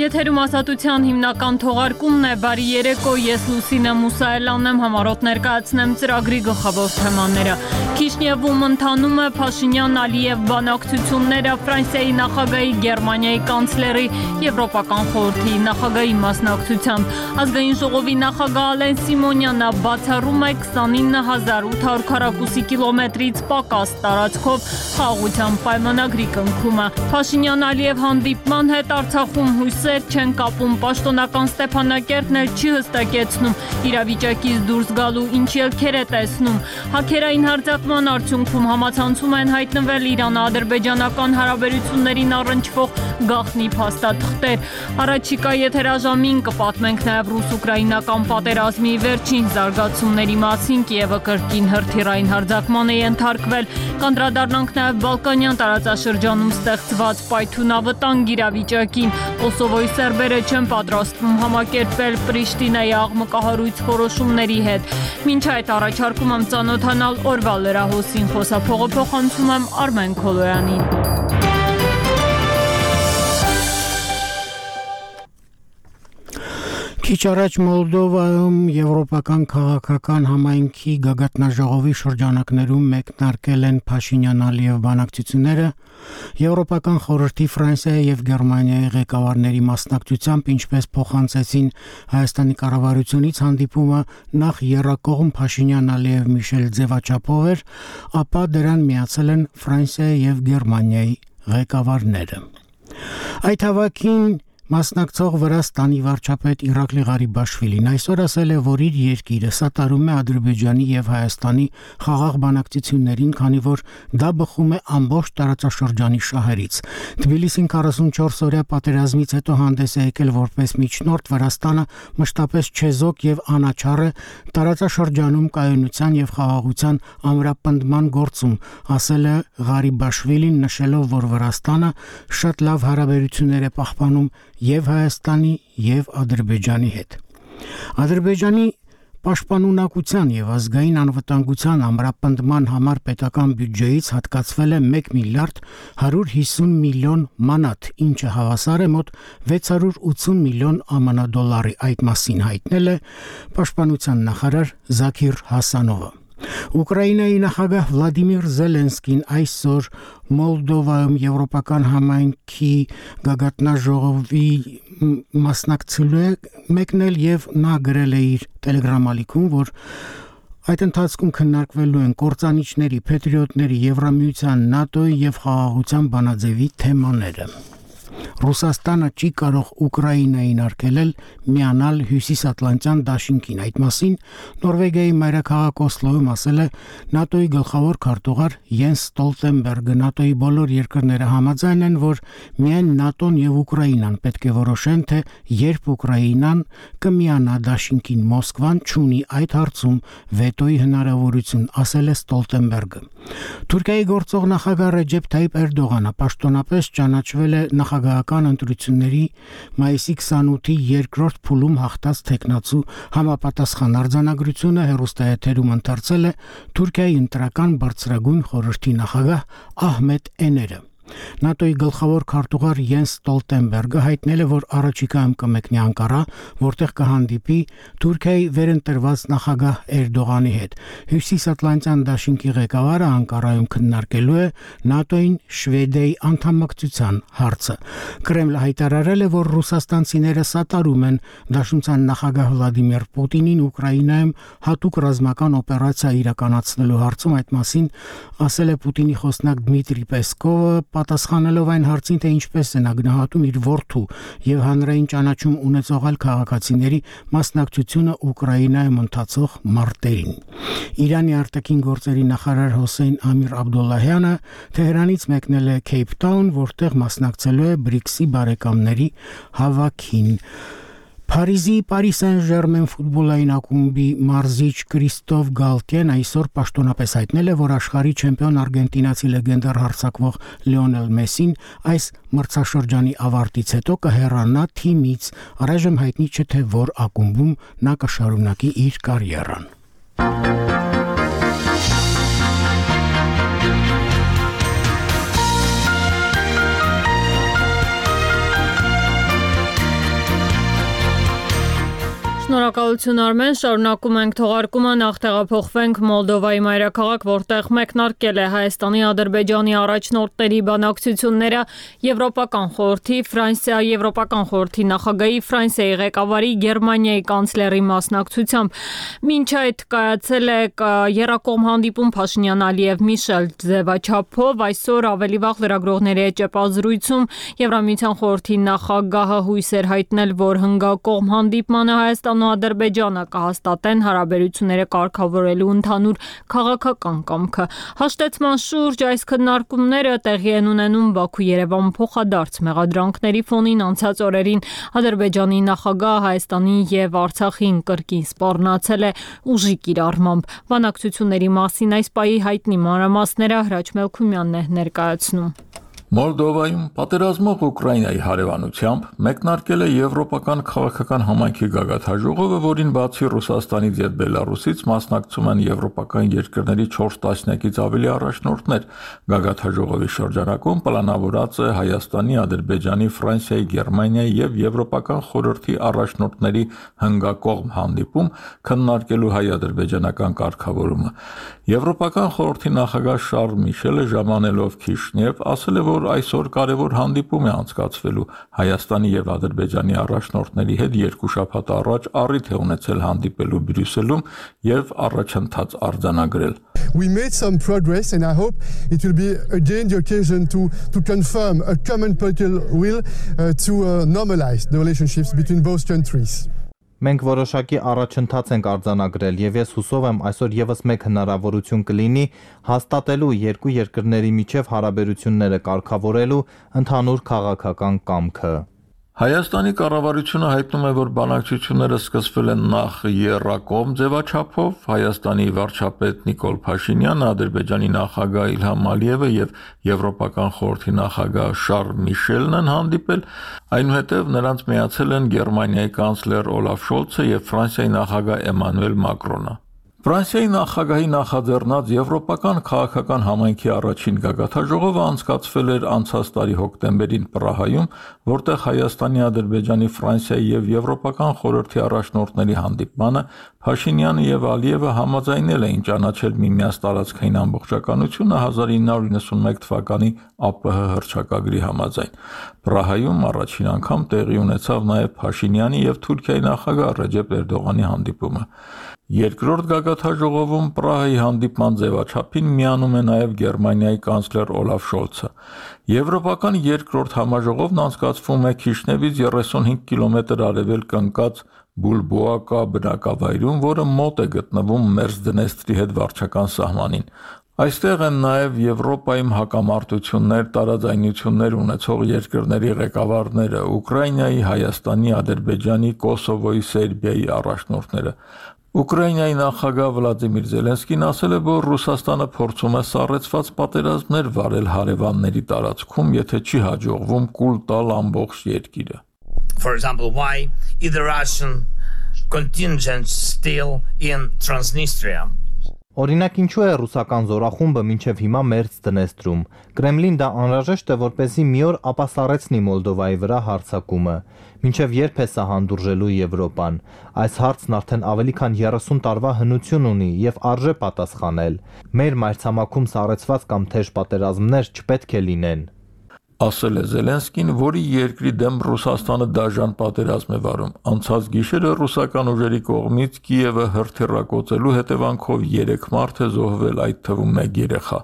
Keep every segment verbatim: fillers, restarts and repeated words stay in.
Եթերում ասատության հիմնական թողարկումն է, բարի երեկո, ես Լուսինե Մուսայելյանն եմ, համառոտ ներկայացնեմ ծրագրի գլխավոր թեմաները։ Քիշնևում ընթանում է Փաշինյան-Ալիև բանակցությունները, Ֆրանսիայի նախագահի, Գերմանիայի կանցլերի, Եվրոպական խորհրդի նախագահի մասնակցությամբ։ Ազգային ժողովի նախագահ Ալեն Սիմոնյանը բացառում է քսանինը հազար ութ հարյուր քառակուսի կիլոմետրից պակաս տարածքով խաղաղության պայմանագրի կնքումը։ Փաշինյան-Ալիև հանդիպման հետ Արցախում հույսեր չեն կապում, պաշտոնական Ստեփանակերտն էլ չի հստակեցնում իրավիճակից դուրս գալու ինչ ելքեր է տեսնում։ Հաքերային հարձակման արդյունքում համացանցում են հայտնվել Իրան-ադրբեջանական հարաբերություններին առնչվող գաղտնի փաստաթղթեր։ Առաջիկա եթերաժամին կպատմենք նաև ռուս-ուկրաինական պատերազմի վերջին զարգացումների մասին, Կիևը կրկին հրթիռային հարձակման է ենթարկվել։ Կանդրադառնանք նաև Բալկանյան տարածաշրջանում ստեղծված պայթյունավտանգ իրավիճակին։ Կոսովոյի սերբերը չեն պատրաստվում համակերպվել Պրիշտինայի աղմկահարույց որոշումների հետ։ Մինչ այդ առաջարկում եմ ծանոթանալ օրվա լրահոսին, խոսափողը փոխանցում եմ Արմեն Քոլոյանին։ Քիչ առաջ Մոլդովայում Եվրոպական քաղաքական համայնքի գագաթնաժողովի շրջանակներում մեկնարկել են Փաշինյան-Ալիև բանակցությունները, Եվրոպական խորհրդի, Ֆրանսիայի եւ Գերմանիայի ղեկավարների մասնակցությամբ, ինչպես փոխանցեցին Հայաստանի կառավարությունից, հանդիպումը նախ եռակողմ Փաշինյան-Ալիև Միշել ձևաչափով էր, ապա դրան միացել են Ֆրանսիայի եւ Գերմանիայի ղեկավարները։ Այդ հավաքին մասնակցող Վրաստանի վարչապետ Իրակլի Ղարիբաշվիլին այսօր ասել է, որ իր երկիրը սատարում է Ադրբեջանի եւ Հայաստանի խաղաղ բանակցություններին, քանի որ դա բխում է ամբողջ տարածաշրջանի շահերից։ Թբիլիսին քառասունչորս օրյա պատերազմից հետո հանդես է եկել որպես միջնորդ, Վրաստանը մշտապես չեզոք եւ անաչառ է տարածաշրջանում կայունության եւ խաղաղության ամրապնդման գործում, ասել է Ղարիբաշվիլին, նշելով, որ Վրաստանը շատ լավ հարաբերություններ է պահպանում եւ Հայաստանի եւ Ադրբեջանի հետ։ Ադրբեջանի պաշտպանունակության եւ ազգային անվտանգության ամրապնդման համար պետական բյուջեից հատկացվել է մեկ միլիարդ հարյուր հիսուն միլիոն մանատ, ինչը հավասար է մոտ վեց հարյուր ութսուն միլիոն ԱՄՆ դոլարի։ Այդ մասին հայտնել է պաշտպանության նախարար Զաքիր Հասանովը։ Ուկրաինայի նախագահ Վլադիմիր Զելենսկին այսօր Մոլդովայում Եվրոպական համայնքի գագաթնաժողովի մասնակցելու է մեկնել եւ նա գրել է իր տելեգրամ-ալիքում, որ այդ ընթացքում քննարկվելու են կործանիչների, փետրիոտների, Եվրամիության, ՆԱՏՕ-ի եւ խաղաղության բանաձևի թեմաները։ Ռուսաստանը չի կարող Ուկրաինային արգելել միանալ Հյուսիսատլանտյան դաշինքին։ Այդ մասին Նորվեգիայի մայրաքաղաք Օսլոյում ասել է ՆԱՏՕ-ի գլխավոր քարտուղար Յենս Ստոլտենբերգը։ ՆԱՏՕ-ի բոլոր երկրները համաձայն են, որ միայն ՆԱՏՕ-ն եւ Ուկրաինան պետք է որոշեն, թե երբ Ուկրաինան կմիանա դաշինքին։ Մոսկվան չունի այդ հարցում վետոյի հնարավորություն, ասել է Ստոլտենբերգը։ Թուրքիայի գործող նախագահ Ռեջեփ Թայիփ Էրդողանը պաշտոնապես ճանաչվել է նախագահական ընտրությունների մայիսի քսանութի երկրորդ փուլում հաղթած թեկնածու համապատասխան արձանագրությունը հեռուստաեթերում ընթերցել է Թուրքիայի ընտրական բարձրագույն խորհրդի նախագահ Ահմեդ Էները։ ՆԱՏՕ-ի գլխավոր քարտուղար Յենս Ստոլտենբերգը հայտնել է, որ առաջիկայում կմեկնի Անկարա, որտեղ կհանդիպի Թուրքիայի վերընտրված նախագահ Էրդողանի հետ։ Հյուսիսատլանտյան դաշինքի ղեկավարը Անկարայում քննարկելու է ՆԱՏՕ-ին Շվեդիայի անդամակցության հարցը։ Կրեմլը հայտարարել է, որ ռուսաստանցիները սատարում են դաշնության նախագահ Վլադիմիր Պուտինին Ուկրաինայում հատուկ ռազմական օպերացիա իրականացնելու հարցում։ Այդ մասին ասել է Պուտինի խոսնակ Դմիտրի Պեսկովը, պատասխանելով այն հարցին, թե ինչպես է նա գնահատում իր որդու եւ հանրային ճանաչում ունեցող այլ քաղաքացիների մասնակցությունը Ուկրաինայում ընթացող մարտերին։ Իրանի արտաքին գործերի նախարար Հոսեյն Ամիր Աբդոլլահյանը Թեհրանից մեկնել է Քեյփթաուն, որտեղ մասնակցելու է բրիքսի բարեկամների հավաքին։ Փարիզի Paris Saint-Germain ֆուտբոլային ակումբի մարզիչ Կրիստոֆ Գալտիեն այսօր պաշտոնապես հայտնել է, որ աշխարհի չեմպիոն արգենտինացի լեգենդար հարձակվող Լիոնել Մեսին այս մրցաշրջանի ավարտից հետո կհեռանա թիմից։ Առայժմ հայտնի չէ, թե որ ակումբում նա կշարունակի իր կարիերան։ Շնորհակալություն Արմեն, շարունակում ենք թողարկումը, նախ տեղափոխվենք Մոլդովայի մայրաքաղաք, որտեղ մեկնարկել է Հայաստանի, Ադրբեջանի առաջնորդների բանակցությունները Եվրոպական խորհրդի, Ֆրանսիա Եվրոպական խորհրդի նախագահի, Ֆրանսիայի ղեկավարի, Գերմանիայի կանցլերի մասնակցությամբ։ Մինչ այդ կայացել է եռակողմ հանդիպում Փաշինյան-Ալիև Միշել ձևաչափով, այսօր ավելի վաղ լրագրողների հետ ճեպազրույցում Եվրամիության խորհրդի նախագահը հույս էր հայտնել, որ հնգակողմ հանդիպմանը Հայաստանն ու Ադրբեջանը կհաստատեն հարաբերությունները կարգավորելու ընդհանուր քաղաքական կամքը։ Հաշտեցման շուրջ այս քննարկումները տեղի են ունենում Բաքու-Երևան փոխադարձ մեղադրանքների ֆոնին անցած օրերին Ադրբեջանի նախագահը Հայաստանի եւ Արցախին կրկին սպառնացել է ուժի կիրառմամբ։ Բանակցությունների մասին այս պահի հայտնի մանրամասները Հրաչ Մելքումյանն է ներկայացնում։ Մոլդովայում պատերազմող Ուկրաինայի հարևանությամբ մեկնարկել է Եվրոպական քաղաքական համայնքի գագաթնաժողովը, որին բացի Ռուսաստանից եւ Բելարուսից մասնակցում են եվրոպական երկրների չորս տասնյակից ավելի առաջնորդներ։ Գագաթնաժողովի շրջանակում պլանավորած է Հայաստանի, Ադրբեջանի, Ֆրանսիայի, Գերմանիայի եւ Եվրոպական խորհրդի առաջնորդների հնգակողմ հանդիպում քննարկելու հայ-ադրբեջանական կարգավորումը։ Եվրոպական խորհրդի նախագահ Շարլ Միշելը ժամանելով Քիշնև ասել է, որ այսօր կարևոր հանդիպում է անցկացվելու Հայաստանի եւ Ադրբեջանի առաջնորդների հետ երկու շաբաթ առաջ առիթ է ունեցել հանդիպելու Բրյուսելում եւ առաջընթաց արձանագրել։ We made some progress and I hope it will be again the occasion to to confirm a common political will uh, to uh, normalize the relationships between both countries. Մենք որոշակի առաջընթաց ենք արձանագրել եւ ես հուսով եմ այսօր եւս մեկ հնարավորություն կլինի հաստատելու երկու երկրների միջև հարաբերությունները կարգավորելու ընդհանուր քաղաքական կամքը։ Հայաստանի կառավարությունը հայտնում է, որ բանակցությունները սկսվել են նախ եռակողմ ձևաչափով, Հայաստանի վարչապետ Նիկոլ Փաշինյանը, Ադրբեջանի նախագահ Իլհամ Ալիևը եւ Եվրոպական խորհրդի նախագահ Շարլ Միշելն են հանդիպել, այնուհետև նրանց միացել են Գերմանիայի կանցլեր Օլաֆ Շոլցը եւ Ֆրանսիայի նախագահ Էմանուել Մակրոնը։ Ֆրանսիայի նախագահի նախաձեռնած Եվրոպական քաղաքական համայնքի առաջին գագաթնաժողովը անցկացվել էր անցած տարի հոկտեմբերին Պրահայում, որտեղ Հայաստանի, Ադրբեջանի, Ֆրանսիայի եւ Եվրոպական խորհրդի առաջնորդների հանդիպմանը Փաշինյանը եւ Ալիևը համաձայնել էին ճանաչել միմյանց տարածքային ամբողջականությունը հազար ինը հարյուր նվաթ թվականի ԱՊՀ հռչակագրի համաձայն։ Պրահայում առաջին անգամ տեղի ունեցավ նաեւ Փաշինյանի եւ Թուրքիայի նախագահ Ռեջեփ Էրդողանի հանդիպումը։ Երկրորդ գագաթնաժողովում Պրահայի հանդիպման ձևաչափին միանում է նաև Գերմանիայի կանցլեր Օլաֆ Շոլցը։ Եվրոպական երկրորդ համաժողովն անցկացվում է Քիշնևից երեսունհինգ կիլոմետր արևելք ընկած Բուլբոակա բնակավայրում, որը մոտ է գտնվում Մերձդնեստրի հետ վարչական սահմանին։ Այստեղ են նաև Եվրոպայում հակամարտություններ, տարաձայնություններ ունեցող երկրների ղեկավարները, Ուկրաինայի, Հայաստանի, Ադրբեջանի, Կոսովոյի, Սերբիայի առաջնորդները։ Ուկրաինայի նախագահ Վլադիմիր Զելենսկին ասել է, որ Ռուսաստանը փորձում է սառեցված պատերազմներ վարել հարևանների տարածքում, եթե չի հաջողվում կուլ տալ ամբողջ երկիրը։ For example, why is the Russian contingent still in Transnistria? Օրինակ ինչու է ռուսական զորախումբը մինչև հիմա Մերձդնեստրում։ Կրեմլին դա անհրաժեշտ է, որպեսզի մի օր ապասառեցնի Մոլդովայի վրա հարձակումը։ Մինչև երբ է սա հանդուրժելու Եվրոպան։ Այս հարցն արդեն ավելի քան երեսուն տարվա հնություն ունի եւ արժե պատասխանել։ Մեր մայրցամաքում սառեցված կամ թեժ պատերազմներ չպետք է լինեն։ Ասել է Զելենսկին, որի երկրի դեմ Ռուսաստանը դաժան պատերազմ է վարում։ Անցած գիշերը ռուսական ուժերի կողմից Կիևը հրթիռակոծելու հետևանքով երեք մարդ է զոհվել, այդ թվում մեկ երեխա։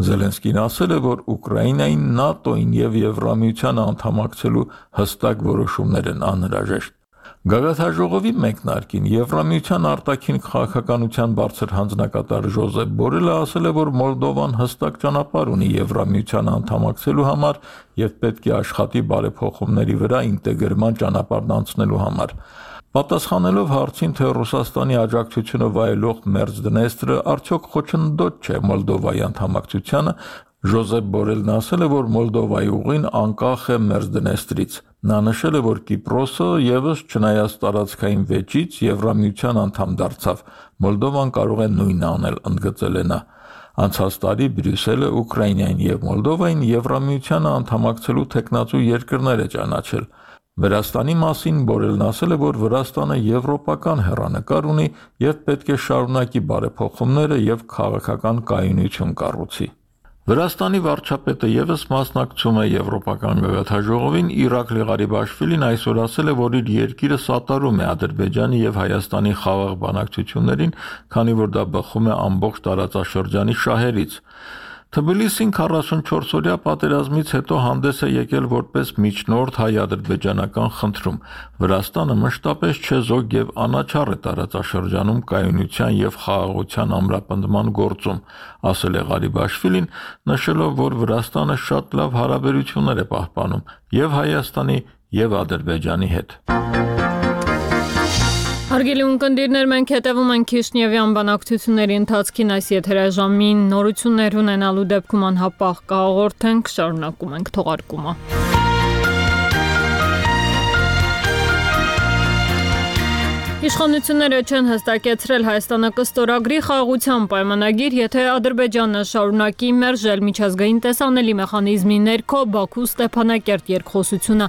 Զելենսկին ասել է, որ Ուկրաինային ՆԱՏՕ-ին եւ Եվրամիությանը անդամակցելու հստակ որոշումներ են անհրաժեշտ։ Գագաթնաժողովի մեկնարկին Եվրամիության արտաքին քաղաքականության բարձր հանձնակատար Ժոզեփ Բորելը ասել է, որ Մոլդովան հստակ ճանապարհ ունի Եվրամիությանը անդամակցելու համար եւ պետք է աշխատի բարեփոխումների վրա ինտեգրման ճանապարհն անցնելու համար։ Պատասխանելով հարցին, թե Ռուսաստանի աջակցությունը վայելող Մերձդնեստրը արդյոք խոչընդոտ չէ Մոլդովայի անդամակցությանը, Ժոզեփ Բորելն ասել է, որ Մոլդովայի ուղին անկախ է Մերձդնեստրից։ Նա նշել է, որ Կիպրոսը եւս չնայած տարածքային վեճից Եվրամիության անդամ դարձավ։ Մոլդովան կարող է նույնն անել, ընդգծել է նա։ Անցած տարի Բրյուսելը Ուկրաինային եւ Մոլդովային Եվրամիությանը անդամակցելու տեխնացու երկրներ է ճանաչել։ Վրաստանի մասին Բորելն ասել է, որ Վրաստանը եվրոպական հեռանկար ունի եւ պետք է շարունակի բարեփոխումները եւ քաղաքական կայունություն կառուցի։ Վրաստանի վարչապետը եւս մասնակցում է Եվրոպական գագաթնաժողովին, Իրաքլի Ղարիբաշվիլին այսօր ասել է, որ իր երկիրը սատարում է Ադրբեջանի եւ Հայաստանի խաղաղ բանակցություններին, քանի որ դա բխում է ամբողջ տարածաշրջանի շահերից։ Թբիլիսին քառասունչորս-օրյա պատերազմից հետո հանդես է եկել որպես միջնորդ հայ-ադրբեջանական խնդրում։ Վրաստանը մշտապես չեզոք եւ անաչառ է տարածաշրջանում կայունության եւ խաղաղության ամրապնդման գործում, ասել է Ղարիբաշվիլին, նշելով, որ Վրաստանը շատ լավ հարաբերություններ է պահպանում եւ Հայաստանի եւ Ադրբեջանի հետ։ Հարգելի ունկնդիրներ, մենք հետևում ենք Քիշնևյան բանակցությունների ընթացքին, այս եթերաժամին նորություններ ունենալու դեպքում անհապաղ կհաղորդենք, շարունակում ենք թողարկումը։ Իշխանությունները չեն հստակեցրել Հայաստանը կստորագրի խաղաղության պայմանագիր, եթե Ադրբեջանը շարունակի մերժել միջազգային տեսանելի մեխանիզմի ներքո Բաքու Ստեփանակերտ երկխոսությունը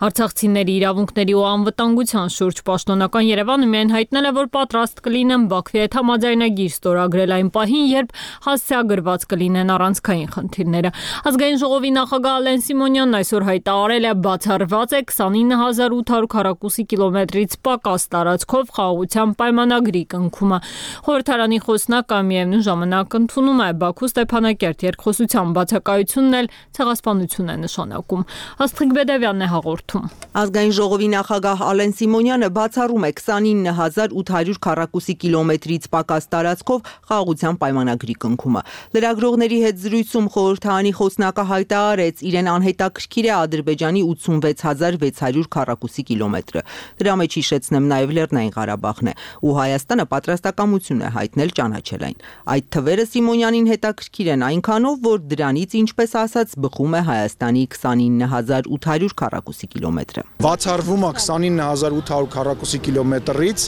արցախցիների իրավունքների ու անվտանգության շուրջ պաշտոնական Երևանը միայն հայտնել է, որ պատրաստ կլինեն Բաքվի հետ համաձայնագիր ստորագրել այն պահին, երբ հասցեագրված կլինեն առանցքային խնդիրները։ Ազգային ժողովի նախագահ Ալեն Սիմոնյանն այսօր հայտարարել է, բացառված է քսանինը հազար ութ հարյուր քառակուսի կիլոմետրից պակաս տարածքով խաղաղության պայմանագրի կնքումը։ Խորհրդարանի խոսնակը միևնույն ժամանակ ընդունում է Բաքու Ստեփանակերտ երկխոսության բացակայությունն էլ ցեղասպանություն է նշանակում։ Աստղիկ Բեդևյանն է հաղորդում։ Ազգային ժողովի նախագահ Ալեն Սիմոնյանը բացառում է քսանինը հազար ութ հարյուր քառակուսի կիլոմետրից պակաս տարածքով խաղաղության պայմանագրի կնքումը։ Լրագրողների հետ զրույցում խորհրդարանի խոսնակը հայտարարեց, իրեն անհետաքրքիր է Ադրբեջանի ութսունվեց հազար վեց հարյուր քառակուսի կիլոմետրը։ Դրա մեջ հիշեցնեմ նաև Լեռնային Ղարաբաղն է, ու Հայաստանը պատրաստակամություն է հայտնել ճանաչել այն։ Այդ թվերը Սիմոնյանին հետաքրքիր են այնքանով, որ դրանից, ինչպես ասած, բխում է Հայաստանի քսանինը հազար ութ հարյուր քառակուսի կիլոմետրը։ Բացառվում է քսանինը հազար ութ հարյուր քառակուսի կիլոմետրից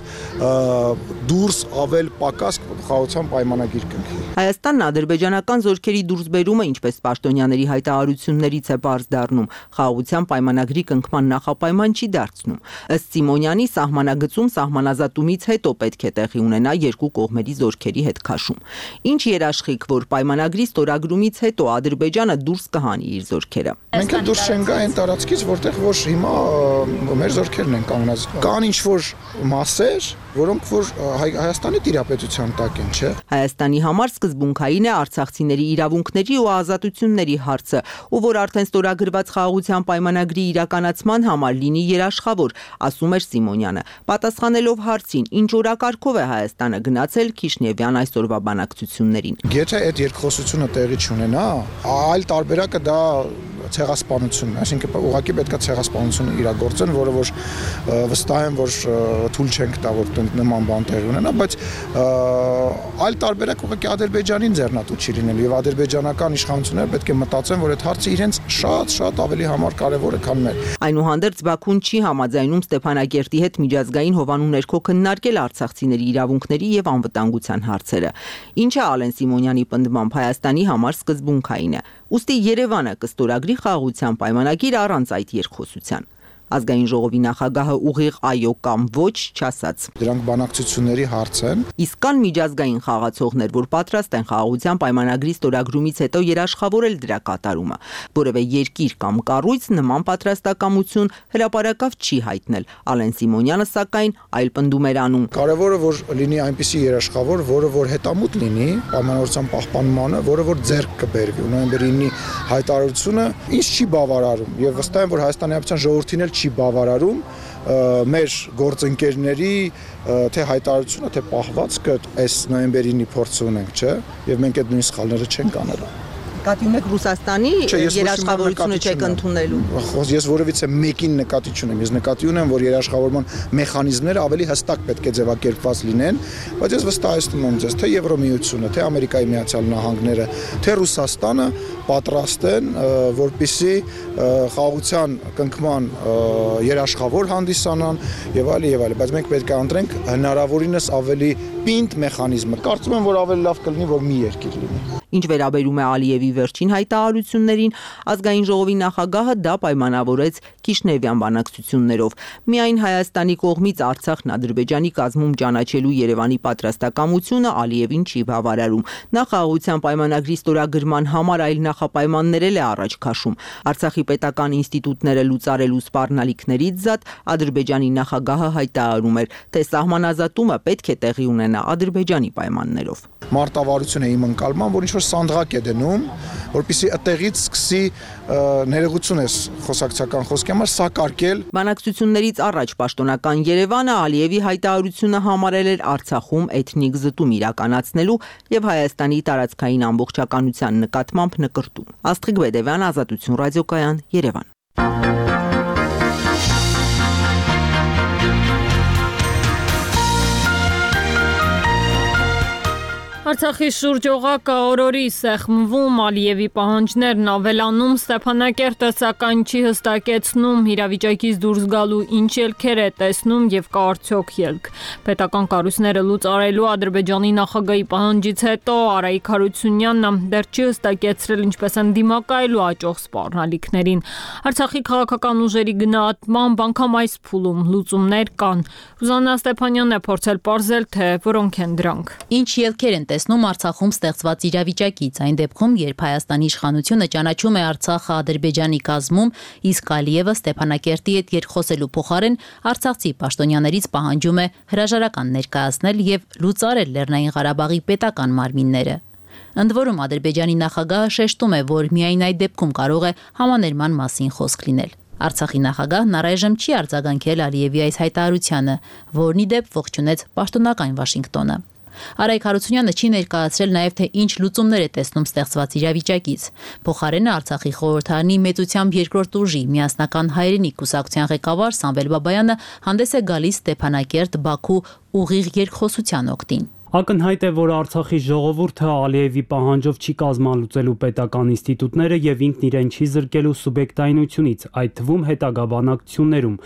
դուրս ավել պակաս խաղաղության պայմանագիր կնքի։ Հայաստանն ադրբեջանական զորքերի դուրսբերումը, ինչպես պաշտոնյաների հայտարարություններից է բարձ դառնում, խաղաղության պայմանագրի կնքման նախապայման չի դարձնում։ Ըստ Սիմոնյանի սահմանագծում սահմանազատումից հետո պետք է տեղի ունենա երկու կողմերի զորքերի հետ քաշում։ Ինչ երաշխիք, որ պայմանագրի ստորագրումից հետո Ադրբեջանը դուրս կհանի իր զորքերը։ Մենք էլ դուրս չենք գա այն տարածքից, որտեղ որ հիմա մեր զորքերն են կանգնած։ Կան ինչ որ մասեր, որոնք որ Հայաստանի տիրապետության տակ են, չէ՞։ Հայաստանի համար սկզբունքային է արցախցիների իրավունքների ու ազատությունների հարցը, ու որ արդեն ստորագրված խաղաղության պայմանագրի իրականացման համար լինի երաշխավոր, ասում էր Սիմոնյանը։ Պատասխանելով հարցին, ինչ օրակարգով է Հայաստանը գնացել Քիշնևյան այսօրվա բանակցություններին։ Եթե այդ երկխոսությունը տեղի չունենա, այլ տարբերակը դա ցեղասպանությունն է, այսինքն ուղղակի պետք է ցեղասպանություն իրագործեն, որը որ վստահ եմ, որ թույլ չենք տա, որ նման բան տեղի ունենա, բայց այլ տարբերակ ուղղակի Ադրբեջանին ձեռնատու չի լինելու եւ ադրբեջանական իշխանությունները պետք է մտածեն, որ այդ հարցը իրենց շատ-շատ ավելի համար կարեւոր է, քան մեր։ Այնուհանդերձ Բաքուն չի համաձայնում Ստեփանակերտի հետ միջազգային հովանու ներքո քննարկել արցախցիների իրավունքների եւ անվտանգության հարցերը։ Ինչը Ալեն Սիմոնյանի պնդմամբ Հայաստանի համար սկզբունքային է։ Ուստի Երևանը կստորագրի խաղաղության պայմանագիր առանց այդ երկխոսության։ Ազգային ժողովի նախագահը ուղիղ այո կամ ոչ չասաց։ Դրանք բանակցությունների հարց են։ Իսկ կան միջազգային խաղացողներ, որ պատրաստ են խաղաղության պայմանագրի ստորագրումից հետո երաշխավորել դրա կատարումը։ Որևէ երկիր կամ կառույց նման պատրաստակամություն հրապարակավ չի հայտնել։ Ալեն Սիմոնյանը սակայն այլ պնդում էր անում։ Կարևորը որ լինի այնպիսի երաշխավոր, որը որ հետամուտ լինի պայմանավորության պահպանմանը, որը որ ձեռք կբերվի։ Նոյեմբերի ինը հայտարարությունը ինչ չի բավարարում եւ վստահ եմ, որ Հայաստանի Հանրապետության ժողովրդին չի բավարարում մեր գործընկերների թե հայտարարությունը, թե պահվածքը այս նոյեմբերի ինը փորձ ունենք, չէ՞, եւ մենք այդ նույն սխալները չենք անելու։ Նկատի ունեք Ռուսաստանի երաշխավորությունը չեք ընդունելու։ Ես որևիցե մեկին նկատի չունեմ, ես նկատի ունեմ, որ երաշխավորման մեխանիզմները ավելի հստակ պետք է ձևակերպված լինեն, բայց ես վստահեցնում եմ ձեզ, թե Եվրոմիությունը, թե Ամերիկայի Միացյալ Նահանգները, թե Ռուսաստանը պատրաստ են, որպեսզի խաղաղության կնքման երաշխավոր հանդիսանան եւ այլ եւ այլ, բայց մենք պետք է ընտրենք հնարավորինս ավելի պինդ մեխանիզմը։ Կարծում եմ, որ ավելի լավ կլինի, որ մի երկիր լինի։ Ինչ վերաբերում է Ալիևի վերջին հայտարարություններին, ազգային ժողովի նախագահը դա պայմանավորեց Կիշնևյան բանակցություններով։ Միայն Հայաստանի կողմից Արցախն Ադրբեջանի կազմում ճանաչելու Երևանի պատրաստակամությունը Ալիևին չի բավարարում։ Նա խաղաղության պայմանագրի ստորագրման համար այլ նախապայմաններ էլ է առաջ քաշում։ Արցախի պետական ինստիտուտները լուծարելու սպառնալիքներից զատ Ադրբեջանի նախագահը հայտարարում էր, թե սահմանազատումը պետք է տեղի ունենա Ադրբեջանի պայմաններով։ Մարտավարությունը իմ ընկալման, որ ինչ-որ սանդղակ է դնում, որպեսզի այդտեղից սկսի ներողություն ես խոսակցական խոսքի համար սակարկել։ Բանակցություններից առաջ պաշտոնական Երևանը Ալիևի հայտարարությունը համարել էր Արցախում էթնիկ զտում իրականացնելու եւ Հայաստանի տարածքային ամբողջականության նկատմամբ նկրտում։ Աստղիկ Բեդևյան, Ազատություն ռադիոկայան, Երևան։ Արցախի շուրջօղակը օրորի սեղմվում, Ալիևի պահանջներն ավելանում, Ստեփանակերտը սակայն չի հստակեցնում իրավիճակից դուրս գալու ինչ ելքեր է տեսնում եւ կա արդյոք ելք։ Պետական կառույցները լուծարելու Ադրբեջանի նախագահի պահանջից հետո Արայիկ Հարությունյանն դեռ չի հստակեցրել ինչպես են դիմակայելու աճող սպառնալիքներին։ Արցախի քաղաքական ուժերի գնահատմամբ անգամ այս փուլում լուծումներ կան։ Ռուզաննա Ստեփանյանն է փորձել պարզել, թե որոնք են դրանք։ Ինչ ելքեր են տեսնում Արցախում ստեղծված իրավիճակից, այն դեպքում, երբ Հայաստանի իշխանությունը ճանաչում է Արցախը Ադրբեջանի կազմում, իսկ Ալիևը Ստեփանակերտի հետ երկխոսելու փոխարեն արցախցի պաշտոնյաներից պահանջում է հրաժարական ներկայացնել եւ լուծարել Լեռնային Ղարաբաղի պետական մարմինները։ Ընդ որում Ադրբեջանի նախագահը շեշտում է, որ միայն այդ դեպքում կարող է համաներման մասին խոսք լինել։ Արցախի նախագահն առայժմ չի արձագանքել Ալիևի այս հայտարարությանը, որն ի դեպ ողջունեց պաշտոնական Վաշինգտոնը։ Արայիկ Հարությունյանը չի ներկայացրել նաև թե ինչ լուծումներ է տեսնում ստեղծված իրավիճակից։ Փոխարենը Արցախի խորհրդարանի մեծությամբ երկրորդ ուժի միասնական հայրենիք կուսակցության ղեկավար Սամվել Բաբայանը հանդես է գալիս Ստեփանակերտ, Բաքու ուղիղ երկխոսության օգտին։ Ակնհայտ է, որ Արցախի ժողովուրդը Ալիևի պահանջով չի կազմալուծելու պետական ինստիտուտները եւ ինքն իրեն չի զրկելու սուբյեկտայնությունից, այդ թվում հետագա բանակցություններում։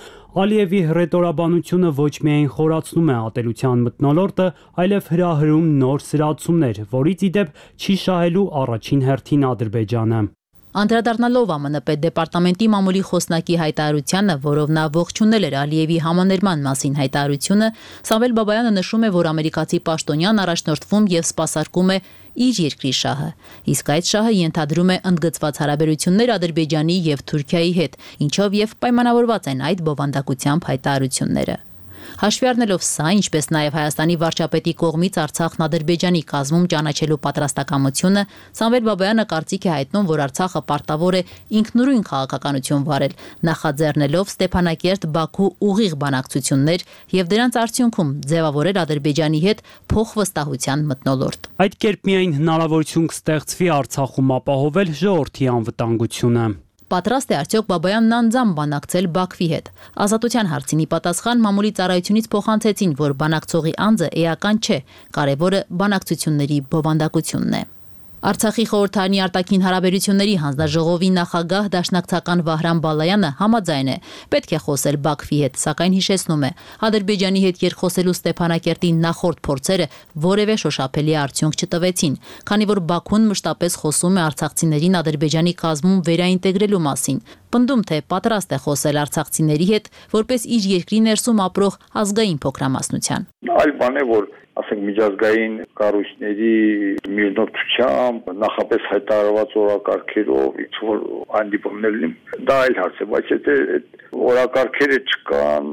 Ալիևի հռետորաբանությունը ոչ միայն խորացնում է ատելության մթնոլորտը, այլև հրահրում նոր սրացումներ, որից ի դեպ չի շահելու առաջին հերթին Ադրբեջանը։ Անդրադառնալով ԱՄՆ պետդեպարտամենտի մամուլի խոսնակի հայտարարությանը, որով նա ողջունել էր Ալիևի համաներման մասին հայտարարությունը, Սամվել Բաբայանը նշում է, որ ամերիկացի պաշտոնյան առաջնորդվում եւ սպասարկում է իր երկրի շահը, իսկ այդ շահը ենթադրում է ընդգծված հարաբերություններ Ադրբեջանի եւ Թուրքիայի հետ, ինչով եւ պայմանավորված են այդ բովանդակությամբ հայտարարությունները։ Հաշվի առնելով սա, ինչպես նաև Հայաստանի վարչապետի կողմից Արցախն Ադրբեջանի կազմում ճանաչելու պատրաստակամությունը, Սամվել Բաբայանը կարծիք է հայտնում, որ Արցախը պարտավոր է ինքնուրույն քաղաքականություն վարել, նախաձեռնելով Ստեփանակերտ, Բաքու ուղիղ բանակցություններ եւ դրանց արդյունքում ձևավորել Ադրբեջանի հետ փոխվստահության մթնոլորտ։ Այդ կերպ միայն հնարավորություն կստեղծվի Արցախում ապահովել ժողովրդի անվտանգությունը։ Պատրաստ է արդյոք Բաբայանն անձամբ բանակցել Բաքվի հետ։ Ազատության հարցինի պատասխան մամուլի ծառայությունից փոխանցեցին, որ բանակցողի անձը էական չէ, կարևորը բանակցությունների բովանդակությունն է։ Արցախի խորհրդարանի արտաքին հարաբերությունների հանձնաժողովի նախագահ դաշնակցական Վահրամ Բալայանը համաձայն է, պետք է խոսել Բաքվի հետ, սակայն հիշեցնում է, Ադրբեջանի հետ երկխոսելու Ստեփանակերտի նախորդ փորձերը որևէ շոշափելի արդյունք չտվեցին, քանի որ Բաքուն մշտապես խոսում է արցախցիներին Ադրբեջանի կազմում վերաինտեգրելու մասին, պնդում թե պատրաստ է խոսել արցախցիների հետ, որպես իր երկրի ներսում ապրող ազգային փոքրամասնության։ Այլ բան է, որ ասենք միջազգային կառույցների միգնոթությամբ նախապես հայտարարված օրակարգերով ինչ որ հանդիպումներ լինեն, դա այլ հարց է, բայց եթե օրակարգերը չկան,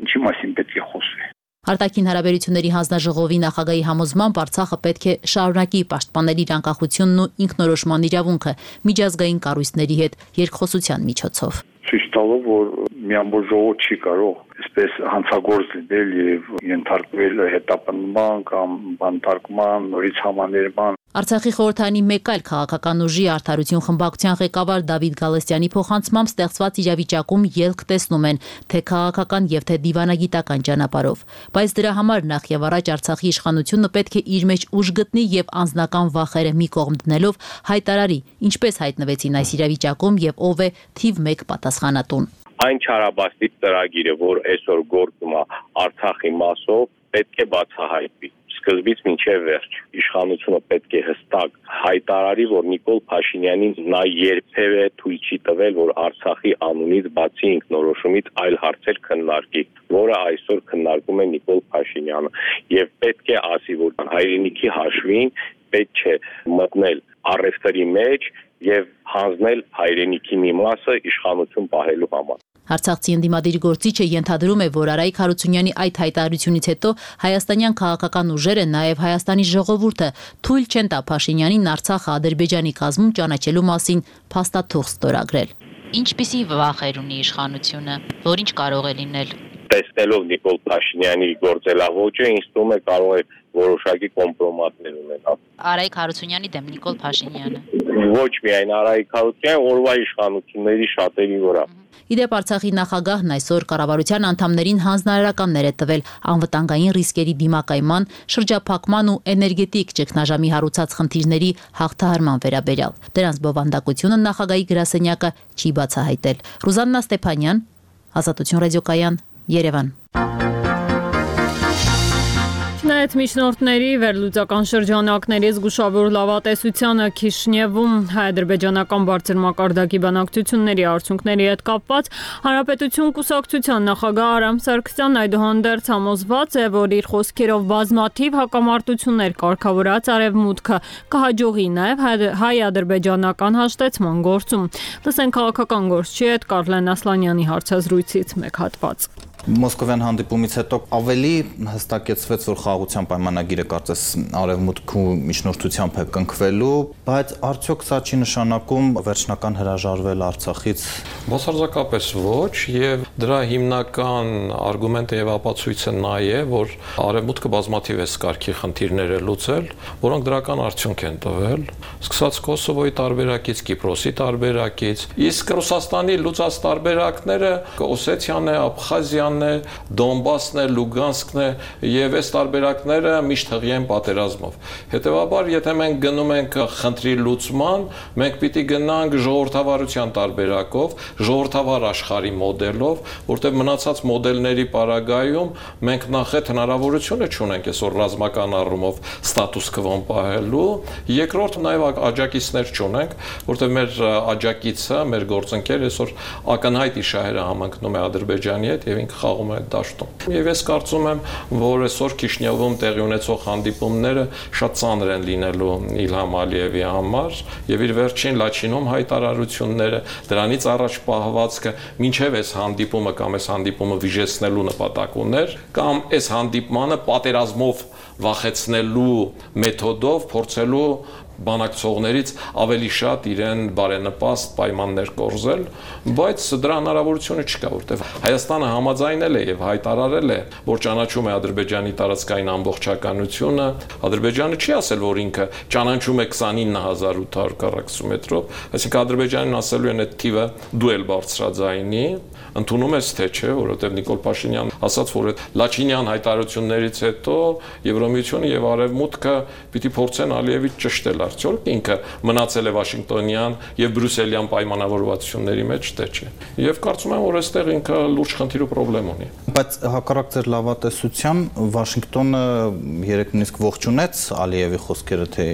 ինչի մասին պետք է խոսվի։ Արտաքին հարաբերությունների հանձնաժողովի նախագահի համոզմամբ Արցախը պետք է շարունակի պաշտպանել իր անկախությունն ու ինքնորոշման իրավունքը միջազգային կառույցների հետ երկխոսության միջոցով։ Ցույց տալով, որ մի ամբողջ ժողով չի կարող այսպես հանցագործ լինել եւ ենթարկվել հետապնդման կամ բանտարկման, նորից համաներման։ Արցախի խորհրդարանի մեկ այլ քաղաքական ուժի Արդարություն խմբակցության ղեկավար Դավիթ Գալստյանի փոխանցմամբ ստեղծված իրավիճակում ելք տեսնում են թե քաղաքական եւ թե դիվանագիտական ճանապարհով, բայց դրա համար նախ եւ առաջ Արցախի իշխանությունը պետք է իր մեջ ուժ գտնի եւ անձնական վախերը մի կողմ դնելով հայտարարի, ինչպես հայտնվեցին այս իրավիճակում եւ ով է թիվ մեկ պատասխանատուն։ Այն չարաբաստիկ ծրագիրը, որ այսօր գործում է Արցախի մասով, պետք է բացահայտվի։ սկզբից մինչև վերջ։ Իշխանությունը պետք է հստակ հայտարարի, որ Նիկոլ Փաշինյանին նա երբևէ թույլ չի տվել, որ Արցախի անունից բացի ինքնորոշումից այլ հարցեր քննարկի, որը այսօր քննարկում է Նիկոլ Փաշինյանը, եւ պետք է ասի, որ հայրենիքի հաշվին պետք չէ մտնել առևտրի մեջ եւ հանձնել հայրենիքի մի մասը իշխանություն պահելու համար։ Արցախցի ընդդիմադիր գործիչը ենթադրում է, որ Արայիկ Հարությունյանի այդ հայտարարությունից հետո հայաստանյան քաղաքական ուժերը, նաև Հայաստանի ժողովուրդը թույլ չեն տա Փաշինյանին Արցախը Ադրբեջանի կազմում ճանաչելու մասին փաստաթուղթ ստորագրել։ Ինչպիսի վախեր ունի իշխանությունը, որ ինչ կարող է լինել։ Տեսնելով Նիկոլ Փաշինյանի գործելավոճը, ինձ թվում է կարող է որոշակի կոմպրոմատներ ունենալ։ Արայիկ Հարությունյանի դեմ Նիկոլ Փաշինյանը։ Ոչ միայն Արայիկ Հարությունյանը, օրվա իշխանությունների շատերի վրա։ Իդեպ Արցախի նախագահն այսօր կառավարության անդամներին հանձնարարականներ է տվել անվտանգային ռիսկերի դիմակայման, շրջափակման ու էներգետիկ ճգնաժամի հարուցած խնդիրների հաղթահարման վերաբերյալ։ Դրանց բովանդակությունը նախագահի գրասենյակը չի բացահայտել։ Ռուզաննա Ստեփանյան, Ազատություն ռադիոկայան, Երևան։ Չնայած միջնորդների վերլուծական շրջանակների զգուշավոր լավատեսությանը Քիշնևում հայ-ադրբեջանական բարձր մակարդակի բանակցությունների արդյունքների հետ կապված Հանրապետություն կուսակցության նախագահ Արամ Սարգսյանն այդուհանդերձ համոզված է, որ իր խոսքերով բազմաթիվ հակամարտություններ կարգավորած Արևմուտքը կհաջողի նաև հայ-ադրբեջանական հաշտեցման գործում։ Լսենք քաղաքական գործչի հետ Կարլեն Ասլանյանի հարցազրույցից մեկ հատված։ Մոսկովյան հանդիպումից հետո ավելի հստակեցվեց, որ խաղաղության պայմանագիրը կարծես Արևմուտքի միջնորդությամբ է կնքվելու, բայց արդյոք սա չի նշանակում վերջնական հրաժարվել Արցախից։ Բացարձակապես ոչ, եւ դրա հիմնական արգումենտը եւ ապացույցը նա է, որ Արևմուտքը բազմաթիվ է սկարքի խնդիրներ է լուծել, որոնք դրական արդյունք են տվել, սկսած Կոսովոյի տարբերակից, Կիպրոսի տարբերակից, իսկ Ռուսաստանի լուծած տարբերակները Օսեթիան է, Աբխազիան Դոնբասն է, Լուգանսկն է եւ այս տարբերակները միշտ հղի են պատերազմով։ Հետևաբար, եթե մենք գնում ենք խնդրի լուծման, մենք պիտի գնանք ժողովրդավարության տարբերակով, ժողովրդավար աշխարհի մոդելով, որտեղ մնացած մոդելների պարագայում մենք նախ այդ հնարավորությունը չունենք այսօր ռազմական առումով ստատուս քվոն պահելու, երկրորդ նաեւ աջակիցներ չունենք, որտեղ մեր աջակիցը, մեր գործընկերը այսօր ակնհայտ իշահերը համընկնում է Ադրբեջանի հետ եւ խաղում է դաշտում։ Եվ ես կարծում եմ, որ այսօր Քիշնևում տեղի ունեցող հանդիպումները շատ ծանր են լինելու Իլհամ Ալիևի համար եւ իր վերջին Լաչինում հայտարարությունները, դրանից առաջ պահվածքը մինչեւ այս հանդիպումը կամ այս հանդիպումը վիժեցնելու նպատակ ուներ, կամ այս հանդիպմանը պատերազմով վախեցնելու մեթոդով փորձելու բանակցողներից ավելի շատ իրեն բարենպաստ պայմաններ կորզել, բայց դրա հնարավորությունը չկա, որտեղ Հայաստանը համաձայնել է եւ հայտարարել է, որ ճանաչում է Ադրբեջանի տարածքային ամբողջականությունը, Ադրբեջանը չի ասել, որ ինքը ճանաչում է քսանինը հազար ութ հարյուր քառակուսիմետրով, այսինքն Ադրբեջանին ասելու են այդ թիվը դու էլ բարձրաձայնի, ընդունում ես թե չէ, որովհետեւ Նիկոլ Փաշինյանն ասաց, որ այդ Լաչինյան հայտարարություններից հետո Եվրոմիությունը եւ Արևմուտքը պիտի փորձեն Ալիևից ճշտել արդյոք ինքը մնացել է Վաշինգտոնյան եւ Բրյուսելյան պայմանավորվածությունների մեջ, թե չէ։ Եվ կարծում եմ, որ այստեղ ինքը լուրջ խնդիր ու խնդրեմ ունի։ Բայց հակառակ ձեր լավատեսության Վաշինգտոնը երեք նույնիսկ ողջունեց Ալիևի խոսքերը, թե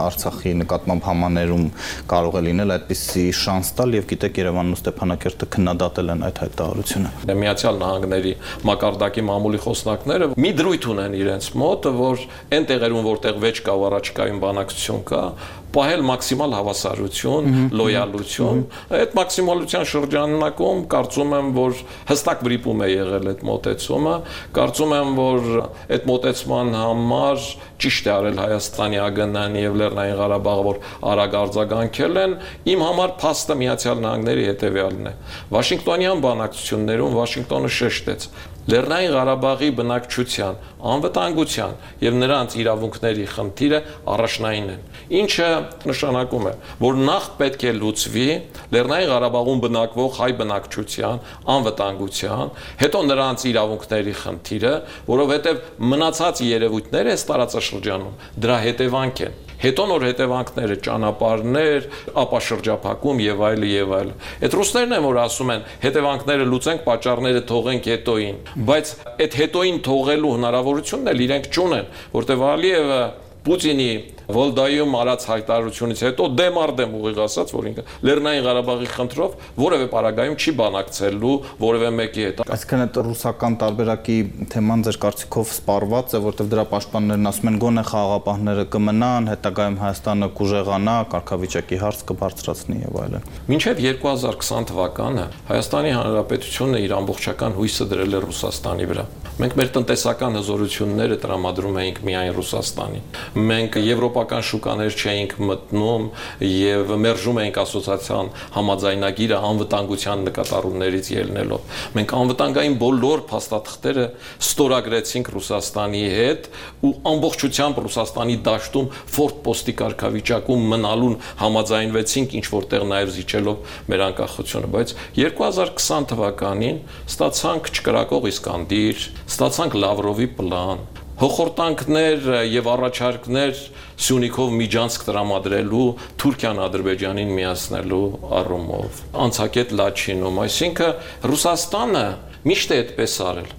Արցախի նկատմամբ համաներում կարող է լինել այդպիսի շանս տալ եւ գիտեք Երևանն ու Ստեփանակերտը քննադատել են այդ հայտարարությունը։ Միացյալ Նահանգների մակարդակի մամուլի խոսնակները մի դրույթ ունեն իրենց մոտ, որ այն տեղերում, որտեղ վեճ կա ու առաջկայում բանակցություն կա, պահել մաքսիմալ հավասարություն, լոյալություն։ Այդ մաքսիմալության շրջանակում կարծում եմ, որ հստակ վրիպում է եղել այդ մոտեցումը, կարծում եմ, որ այդ մոտեցման համար ճիշտ է արել Հայաստանի ԱԳՆ-ն եւ Լեռնային Ղարաբաղը, որ արագ արձագանքել են, իմ համար փաստը Միացյալ Նահանգների հետեւյալն է։ Վաշինգտոնյան բանակցություններում Վաշինգտոնը շեշտեց Լեռնային Ղարաբաղի բնակչության անվտանգության եւ նրանց իրավունքների խնդիրը առաջնային են, ինչը նշանակում է, որ նախ պետք է լուծվի Լեռնային Ղարաբաղում բնակվող հայ բնակչության անվտանգության, հետո նրանց իրավունքների խնդիրը, որովհետեւ մնացած երևույթները այս տարածաշրջանում դրա հետևանք են։ Հետո նոր հետևանքները, ճանապարհներ, ապա շրջափակում եւ այլ եւ այլ։ Այդ ռուսներն են, որ ասում են, հետևանքները լուծենք, պատճառները թողենք հետոին, բայց այդ հետոին թողելու հնարավորությունն էլ իրենք չունեն, որտեղ Ալիևը Պուտինի Վոլդայում արած հայտարարությունից հետո դեմ արդեմ ուղիղ ասած, որ ինքը Լեռնային Ղարաբաղի խնդրով որևէ պարագայում չի բանակցելու որևէ մեկի հետ։ Այսինքն այդ ռուսական տարբերակի թեման ձեր կարծիքով սպառված է, որտեղ դրա պաշտպաններն ասում են գոնե խաղաղապահները կմնան, հետագայում Հայաստանը կուժեղանա, կարգավիճակի հարց կբարձրացնի եւ այլն։ Մինչեւ երկու հազար քսան թվականը Հայաստանի Հանրապետությունը իր ամբողջական հույսը դրել է Ռուսաստանի վրա։ Մենք մեր տնտեսական հզորությունները տրամադրում էինք միայն Ռուսաստանին։ Մենք եվրոպական շուկաներ չէինք մտնում եւ մերժում էինք ասոցիացիան համաձայնագիրը անվտանգության նկատառումներից ելնելով։ Մենք անվտանգային բոլոր փաստաթղթերը ստորագրեցինք Ռուսաստանի հետ ու ամբողջությամբ Ռուսաստանի դաշտում ֆորտ պոստի կարգավիճակում մնալուն համաձայնվեցինք, ինչ որտեղ նաեւ զիջելով մեր անկախությունը, բայց երկու հազար քսան թվականին ստացանք չկրակող Իսկանդիր, ստացանք Լավրովի պլան, հոխորտանքներ եւ առաջարկներ Սյունիքով միջանցք տրամադրելու Թուրքիան Ադրբեջանին միացնելու առումով, անցակետ Լաչինում, այսինքն Ռուսաստանը միշտ է այդպես արել։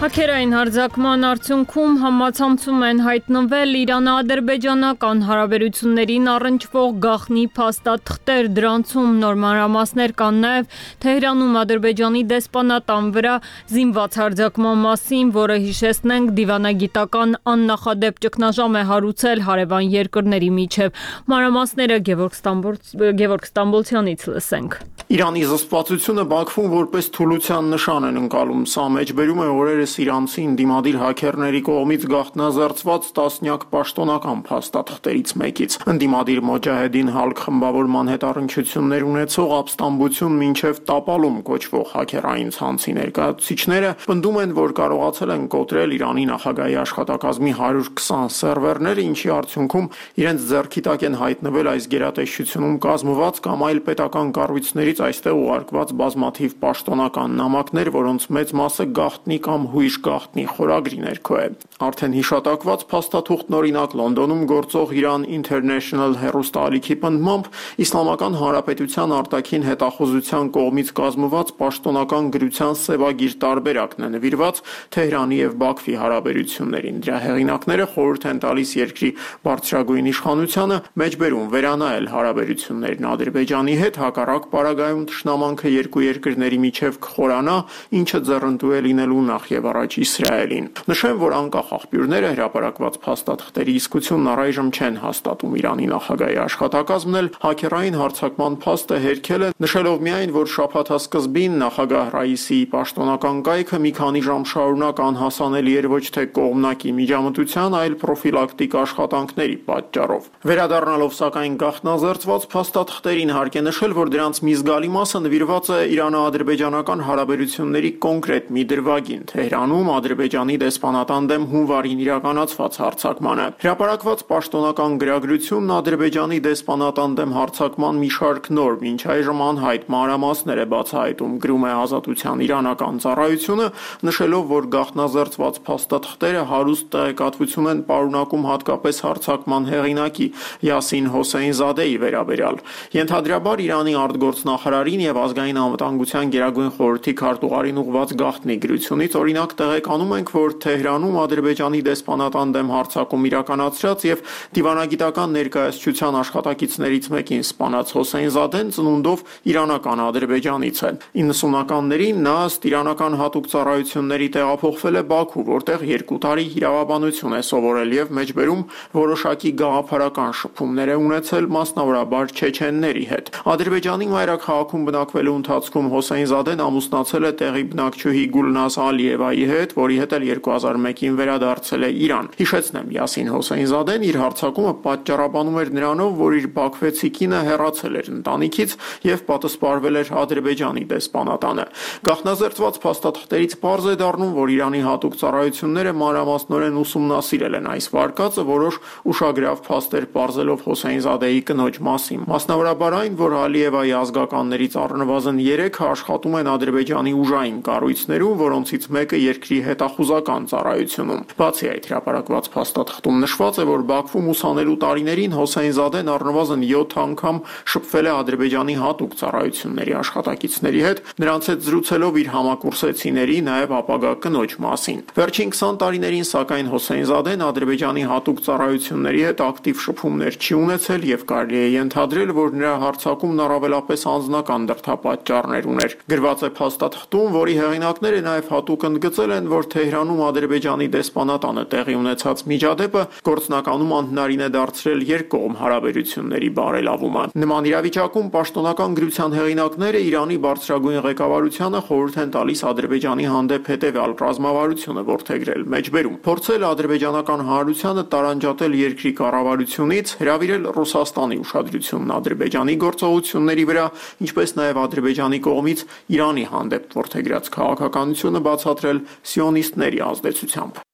Հակերային հարձակման արդյունքում համացանցում են հայտնվել Իրано-ադրբեջանական հարաբերություններին առնչվող գաղտնի փաստաթղթեր, դրանցում նոր մանրամասներ կան նաև Թեհրանում Ադրբեջանի դեսպանատան վրա զինված հարձակման մասին, որը հիշեցնենք դիվանագիտական աննախադեպ ճգնաժամ է հարուցել հարևան երկրների միջև։ Մանրամասները Գևորգ Ստամբոլցյանից լսենք։ Իրանի զսպվածությունը Բաքվում որպես թուլության նշան են ընկալում, սա մեջբերում է օրերս իրանցին դիմադիր հաքերների կողմից գաղտնազերծված տասնյակ պաշտոնական փաստաթղթերից մեկից։ Ընդդիմադիր Մոջահեդին Հալկ խմբավորման հետ առնչություններ ունեցող ապստամբություն մինչև տապալում կոչվող հաքերային ցանցի ներկայացուցիչները պնդում են, որ կարողացել են կոտրել Իրանի նախագահի աշխատակազմի հարյուր քսան սերվերներ, ինչի արդյունքում իրենց ձեռքի տակ են հայտնվել այս գերատեսչությունում կազմված կամ այլ պետական կառույցներից այստեղ ուղարկված բազմաթիվ պաշտոնական նամակներ, որոնց մեծ մասը գաղտնի կամ հույժ գաղտնի խորագրի ներքո է։ Արդեն հիշատակված փաստաթուղթն օրինակ Լոնդոնում գործող Iran International հեռուստաալիքի պնդմամբ Իսլամական Հանրապետության արտաքին հետախուզության կողմից կազմված պաշտոնական գրության սևագիր տարբերակն է նվիրված Թեհրանի եւ Բաքվի հարաբերություններին։ Դրա հեղինակները խորհուրդ են տալիս երկրի բարձրագույն իշխանությանը մեջբերում վերանայել հարաբերություններն Ադրբեջանի հետ, հակառակ պարագայում թշնամանքը երկու երկրների միջև կխորանա, ինչը ձեռնտու է լինելու նախ եւ առաջ Իսրայելին։ Նշեմ, որ անկախ աղբյուրները հրապարակված փաստաթղթերի իսկությունն առայժմ չեն հաստատում։ Իրանի նախագահի աշխատակազմն էլ հաքերային հարձակման փաստը հերքել է, նշելով միայն, որ շաբաթասկզբին նախագահ Ռայիսիի պաշտոնական կայքը մի քանի ժամ շարունակ անհասանելի էր ոչ թե կողմնակի միջամտության, այլ պրոֆիլակտիկ աշխատանքների պատճառով։ Վերադառնալով սակայն գաղտնազերծված փաստաթղթերին հարկ է նշել, որ դրանց մի զգալի մասը նվիրված է Իրано-ադրբեջանական հարաբերությունների կոնկրետ մի դրվագին Թեհրանում Ադրբեջանի դեսպանատան դեմ հունվարին իրականացված հարձակմանը։ Հրապարակված պաշտոնական գրագրությունն Ադրբեջանի դեսպանատան դեմ հարձակման մի շարք նոր, մինչ այժմ անհայտ մանրամասներ է բացահայտում, գրում է Ազատության իրանական ծառայությունը, նշելով, որ գաղտնազերծված փաստաթղթերը հարուստ տեղեկատվություն են պարունակում հատկապես հարձակման հեղինակի Յասին Հոսեյնզադեի վերաբերյալ։ Ենթադրաբար Իրանի արտգործնախարարին եւ ազգային անվտանգության գերագույն խորհրդի քարտուղարին ուղված գաղտնի գրությունից օրինակ տեղեկանում ենք, որ Թեհրանում Ադրբեջանի դեսպանատան դեմ հարձակում իրականացրած եւ դիվանագիտական ներկայացության աշխատակիցներից մեկին սպանած Հոսեյնզադեն ծնունդով իրանական ադրբեջանից է։ իննսունականներին նա ըստ իրանական հատուկ ծառայությունների տեղափոխվել է Բաքու, որտեղ երկու տարի իրավաբանություն է սովորել եւ մեջբերում որոշակի գաղափարական շփումներ է ունեցել մասնավորաբար չեչենների հետ։ Ադրբեջանի մայրաքաղաքում բնակվելու ընթացքում Հոսեյնզադեն ամուսնացել է տեղի բնակչուհի Գուլնազ Ալիևայի Ռուսիայի հետ, որի հետ էլ երկու հազար մեկին վերադարձել է Իրան։ Հիշեցնեմ, Յասին Հոսեյնզադեն իր հարձակումը պատճառաբանում էր նրանով, որ իր բաքվեցի կինը հեռացել էր ընտանիքից եւ պատասպարվել էր Ադրբեջանի դեսպանատանը։ Գաղտնազերծված փաստաթղթերից պարզ է դառնում, որ Իրանի հատուկ ծառայությունները մանրամասնորեն ուսումնասիրել են այս վարկածը, որոշ ուշագրավ փաստեր պարզելով Հոսեյնզադեի կնոջ մասին։ Մասնավորաբար այն, որ Ալիևայի ազգականներից առնվազն երեքը աշխատում են Ադրբեջանի ուժային կառույցներում, որոնցից մեկը երկրի հետախուզական ծառայությունում։ Բացի այդ, հրապարակված փաստաթղթում նշված է, որ Բաքվում ուսանելու տարիներին Հոսեյնզադեն առնվազն յոթ անգամ շփվել է Ադրբեջանի հատուկ ծառայությունների աշխատակիցների հետ, նրանց հետ զրուցելով իր համակուրսեցիների, նաև ապագա կնոջ մասին։ Վերջին քսան տարիներին, սակայն, Հոսեյնզադեն Ադրբեջանի հատուկ ծառայությունների հետ ակտիվ շփումներ չի ունեցել եւ կարելի է ենթադրել, որ նրա հարձակումն առավելապես անձնական դրդապատճառներ ուներ։ Գրված է փաստաթղթում, որի հեղինակները նաև հատուկ ընդգծել են, որ Թեհրանում Ադրբեջանի դեսպանատանը տեղի ունեցած միջադեպը գործնականում անհնարին է դարձրել երկկողմ հարաբերությունների բարելավումը։ Նման իրավիճակում պաշտոնական գրության հեղինակները Իրանի բարձրագույն ղեկավարությանը խորհուրդ են տալիս Ադրբեջանի հանդեպ հետևյալ ռազմավարությունը որդեգրել մեջբերում, փորձել ադրբեջանական հանրությանը տարանջատել երկրի կառավարությունից, հրավիրել Ռուսաստանի ուշադրությունն Ադրբեջանի գործողությունների վրա, ինչպես նաև Ադրբեջանի կողմից Իրանի հանդեպ որդեգրած քաղաքականությունը բացատրել սիոնիստների ազդեցությամբ։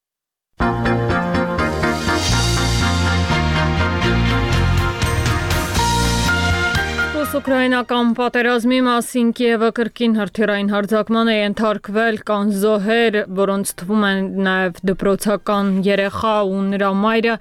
Ուկրաինական պատերազմի մասին Կիևը կրկին հրթիռային հարձակման է ենթարկվել, կան զոհեր, որոնց թվում են նաև դպրոցական երեխա ու նրա մայրը։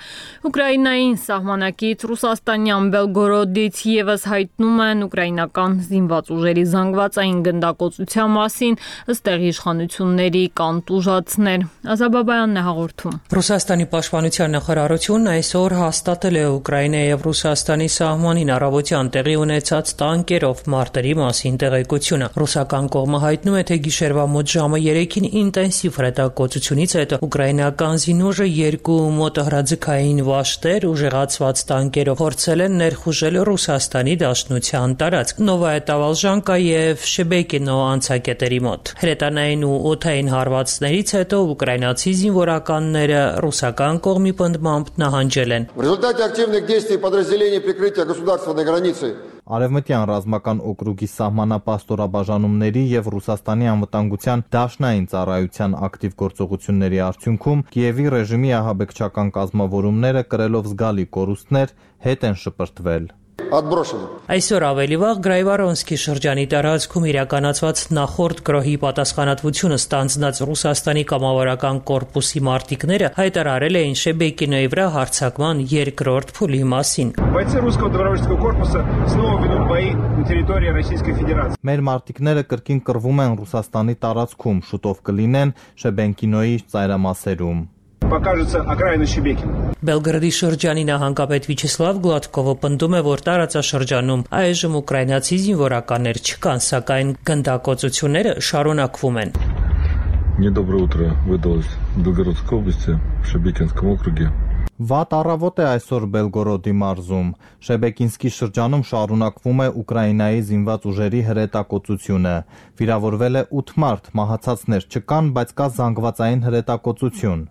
Ուկրաինային սահմանակից ռուսաստանյան Բելգորոդից եւս հայտնում են ուկրաինական զինված ուժերի զանգվածային գնդակոծության մասին, ըստ տեղի իշխանությունների կան տուժածներ։ Ազաբաբայանն է հաղորդում։ Ռուսաստանի պաշտպանության նախարարությունն այսօր հաստատել է Ուկրաինայի եւ Ռուսաստանի սահմանին առավոտյան տեղի ունեցած տանկերով մարտերի մասին տեղեկությունը։ Ռուսական կողմը հայտնում է, թե գիշերվա մոտ ժամը երեքին ինտենսիվ հրետակոծությունից հետո ուկրաինական զինուժը երկու մոտոհրաձգային վաշտեր ուժեղացված տանկերով փորձել են ներխուժել Ռուսաստանի Դաշնության տարածք Նովայա Տավալժանկա եւ Շեբեկինո անցակետերի մոտ։ Հրետանային ու օդային հարվածներից հետո ուկրաինացի զինվորականները ռուսական կողմի պնդմամբ նահանջել են։ В результате активных действий подразделений прикрытия государственной границы Արևմտյան ռազմական օկրուգի սահմանապահ ստորաբաժանումների եւ Ռուսաստանի անվտանգության դաշնային ծառայության ակտիվ գործողությունների արդյունքում Կիևի ռեժիմի ահաբեկչական կազմավորումները կրելով զգալի կորուստներ հետ են շպրտվել։ Այսօր ավելի վաղ Գրայվարոնսկի շրջանի տարածքում իրականացված նախորդ գրոհի պատասխանատվությունը ստանձնած Ռուսաստանի կամավորական կորպուսի մարտիկները հայտարարել էին Շեբեկինոյի վրա հարձակման երկրորդ փուլի մասին։ Մեր մարտիկները կրկին կռվում են Ռուսաստանի տարածքում, շուտով կլինեն Շեբեկինոյի ծայրամասերում։ Բելգրադի շրջանի նահանգապետ Վիչեսլավ Գլադկովը պնդում է, որ տարածաշրջանում այժմ ուկրաինացի զինվորականներ չկան, սակայն գնդակոծությունները շարունակվում են։ Недоброе утро выдалось в Белгородской области, в Шебекинском округе. Վատ առավոտ է այսօր Բելգորոդի մարզում։ Շեբեկինսկի շրջանում շարունակվում է Ուկրաինայի զինված ուժերի հրետակոծությունը։ Վիրավորվել է ութ մարդ, մահացածներ չկան, բայց կա զանգվածային հրետակոծություն։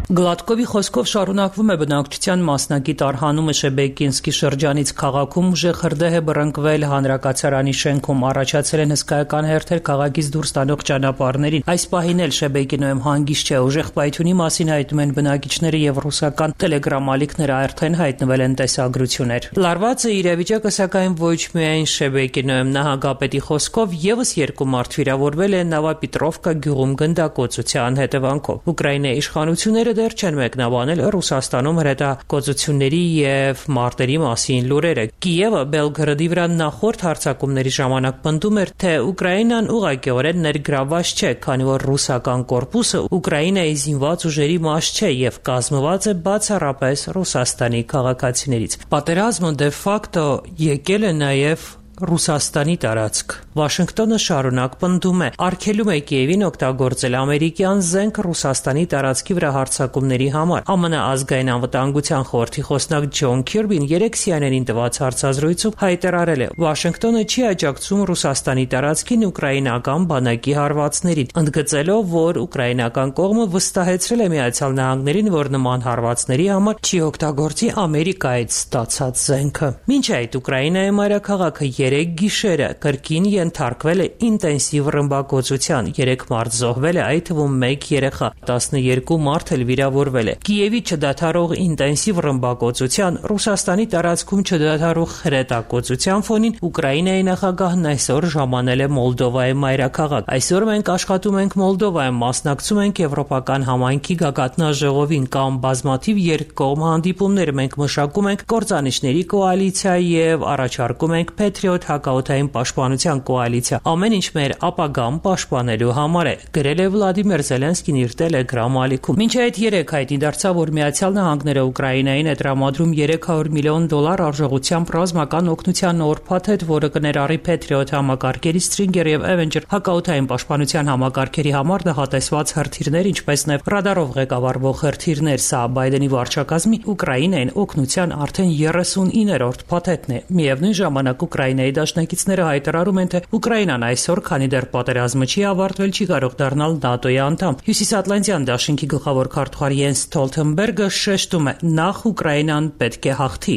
Գլադկովի խոսքով շարունակվում է բնակչության մասնակից արհանումը Շեբեկինսկի շրջանից քաղաքում ուժեղ հրդեհ է բռնկվել հանրակացարանի շենքում, առաջացել են հսկայական հերթեր քաղաքից դուրս տանող ճանապարհներին։ Այս պահին էլ Շեբեկինոյում հանգիստ չէ, ուժեղ պայթյունի մասին հայտնում են բնակիչները եւ ռուսական տելեգրամ ալիքները արդեն հայտնվել են տեսագրություններ։ Լարվածը իրավիճակը սակայն ոչ միայն Շեբեկինոյում նահանգապետի խոսքով եւս երկու մարդ վիրավորվել են Նավապետրովկա գյուղում գնդակոծության հետևանքով։ Ուկրաինայի իշխանությունները դեռ չեն մեկնաբանել Ռուսաստանում հրետակոծությունների եւ մարտերի մասին լուրերը։ Կիևը Բելգրադի վրա նախորդ հարձակումների ժամանակ պնդում էր, թե Ուկրաինան ուղղակիորեն ներգրավված չէ, քանի որ ռուսական կորպուսը Ուկրաինայի զինված ուժերի մաս չէ եւ կազմված է բացառապես Ռուսաստանի քաղաքացիներից։ Պատերազմը դե ֆակտո եկել է նաեւ Ռուսաստանի տարածք։ Վաշինգտոնը շարունակ պնդում է, արգելում է Կիևին օգտագործել ամերիկյան զենք Ռուսաստանի տարածքի վրա հարձակումների համար։ ԱՄՆ ազգային անվտանգության խորհրդի խոսնակ Ջոն Քիրբին երեք սի են են-ին տված հարցազրույցում հայտարարել է. Վաշինգտոնը չի աջակցում Ռուսաստանի տարածքին ուկրաինական բանակի հարվածներին, ընդգծելով, որ ուկրաինական կողմը վստահեցրել է Միացյալ Նահանգներին, որ նման հարվածների համար չի օգտագործի Ամերիկայից ստացած զենքը։ Մինչ այդ Ուկրաինայի մայրաքաղաքը երեք գիշերը կրկին ենթարկվել է ինտենսիվ ռմբակոծության, երեք մարդ զոհվել է, այդ թվում մեկ երեխա, տասներկու մարդ էլ վիրավորվել է։ Կիևի չդադարող ինտենսիվ ռմբակոծության, Ռուսաստանի տարածքում չդադարող հրետակոծության ֆոնին Ուկրաինայի նախագահն այսօր ժամանել է Մոլդովայի մայրաքաղաք։ Այսօր մենք աշխատում ենք Մոլդովայում, մասնակցում ենք Եվրոպական համայնքի գագաթնաժողովին կամ բազմաթիվ երկկողմ հանդիպումներ, մենք մշակում ենք կործանիչների կոալիցիա եւ առաջարկում ենք Patriot հակաօդային պաշտպանության կոալիցիա, ամեն ինչ մեր ապագան պաշտպանելու համար է, գրել է Վլադիմիր Զելենսկին իր Telegram ալիքում։ Մինչ այդ երեք հայտնի դարձավ, որ Միացյալ Նահանգները Ուկրաինային է տրամադրում երեք հարյուր միլիոն դոլար արժողությամբ ռազմական օգնության նոր փաթեթ, որը կներառի Patriot համակարգերի Stinger եւ Avenger հակաօդային պաշտպանության համակարգերի համար նախատեսված հրթիռներ, ինչպես նաեւ ռադարով ղեկավարվող հրթիռներ, սա Բայդենի վարչակազմի Ուկրաինային օգնության արդեն երեսունիներորդ փաթեթն է։ Միևնույն ժամանակ Ուկրաինայի դաշնակիցները հայտարարում են, թե Ուկրաինան այսօր, քանի դեռ պատերազմը չի ավարտվել, չի կարող դառնալ ՆԱՏՕ-ի անդամ։ Հյուսիսատլանտյան դաշինքի գլխավոր քարտուղար Յենս Ստոլթենբերգը շեշտում է, նախ Ուկրաինան պետք է հաղթի։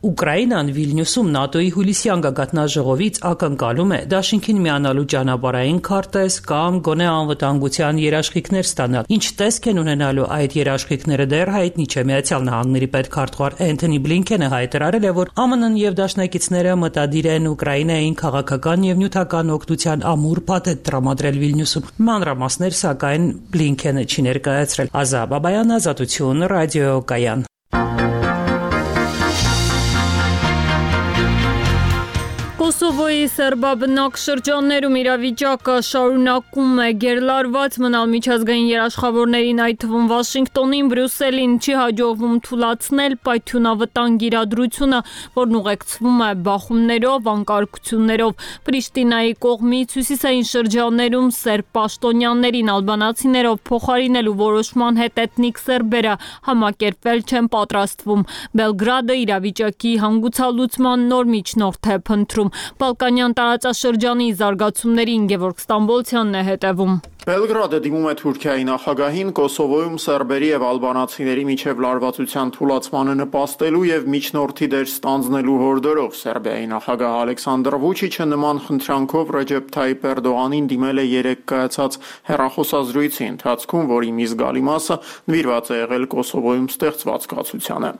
Ուկրաինան Վիլնյուսում ՆԱՏՕ-ի հուլիսյան գագաթնաժողովից ակնկալում է դաշինքին միանալու ճանապարհային քարտեզ կամ գոնե անվտանգության երաշխիքներ ստանալ։ Ինչ տեսք են ունենալու այդ երաշխիքները դեռ հայտնի չէ։ Միացյալ Նահանգների պետքարտուղար Էնթոնի Բլինքենը հայտարարել է, որ ԱՄՆ-ն եւ դաշնակիցները մտադիր են Ուկրաինային քաղաքական եւ նյութական օգնության ամուր փաթեթ տրամադրել Վիլնյուսում։ Մանրամասներ սակայն Բլինքենը չի ներկայացրել։ Ազա Բաբայան, Ազատություն, ռադիոկայան։ Կոսովոյի սերբաբնակ շրջաններում իրավիճակը շարունակում է գերլարված մնալ միջազգային երաշխավորներին, այդ թվում Վաշինգտոնին, Բրյուսելին չի հաջողվում թուլացնել պայթյունավտանգ իրադրությունը, որն ուղեկցվում է բախումներով, անկարգություններով։ Պրիշտինայի կողմից հյուսիսային շրջաններում սերբ պաշտոնյաներին ալբանացիներով փոխարինելու որոշման հետ էթնիկ սերբերը համակերպվել չեն պատրաստվում։ Բելգրադը իրավիճակի հանգուցալուծման նոր միջնորդ է փնտրում։ Բալկանյան տարածաշրջանի զարգացումներին Գևորգ Ստամբոլցյանն է հետևում։ Բելգրադը դիմում է Թուրքիայի նախագահին Կոսովոյում սերբերի եւ ալբանացիների միջև լարվածության թուլացմանը նպաստելու եւ միջնորդի դեր ստանձնելու հորդորով Սերբիայի նախագահ Ալեքսանդր Վուչիչը նման խնդրանքով Ռեջեփ Թայիփ Էրդողանին դիմել է երեք կայացած հեռախոսազրույցի ընթացքում, որի մի զգալի մասը նվիրված է եղել Կոսովոյում ստեղծված կացությանը։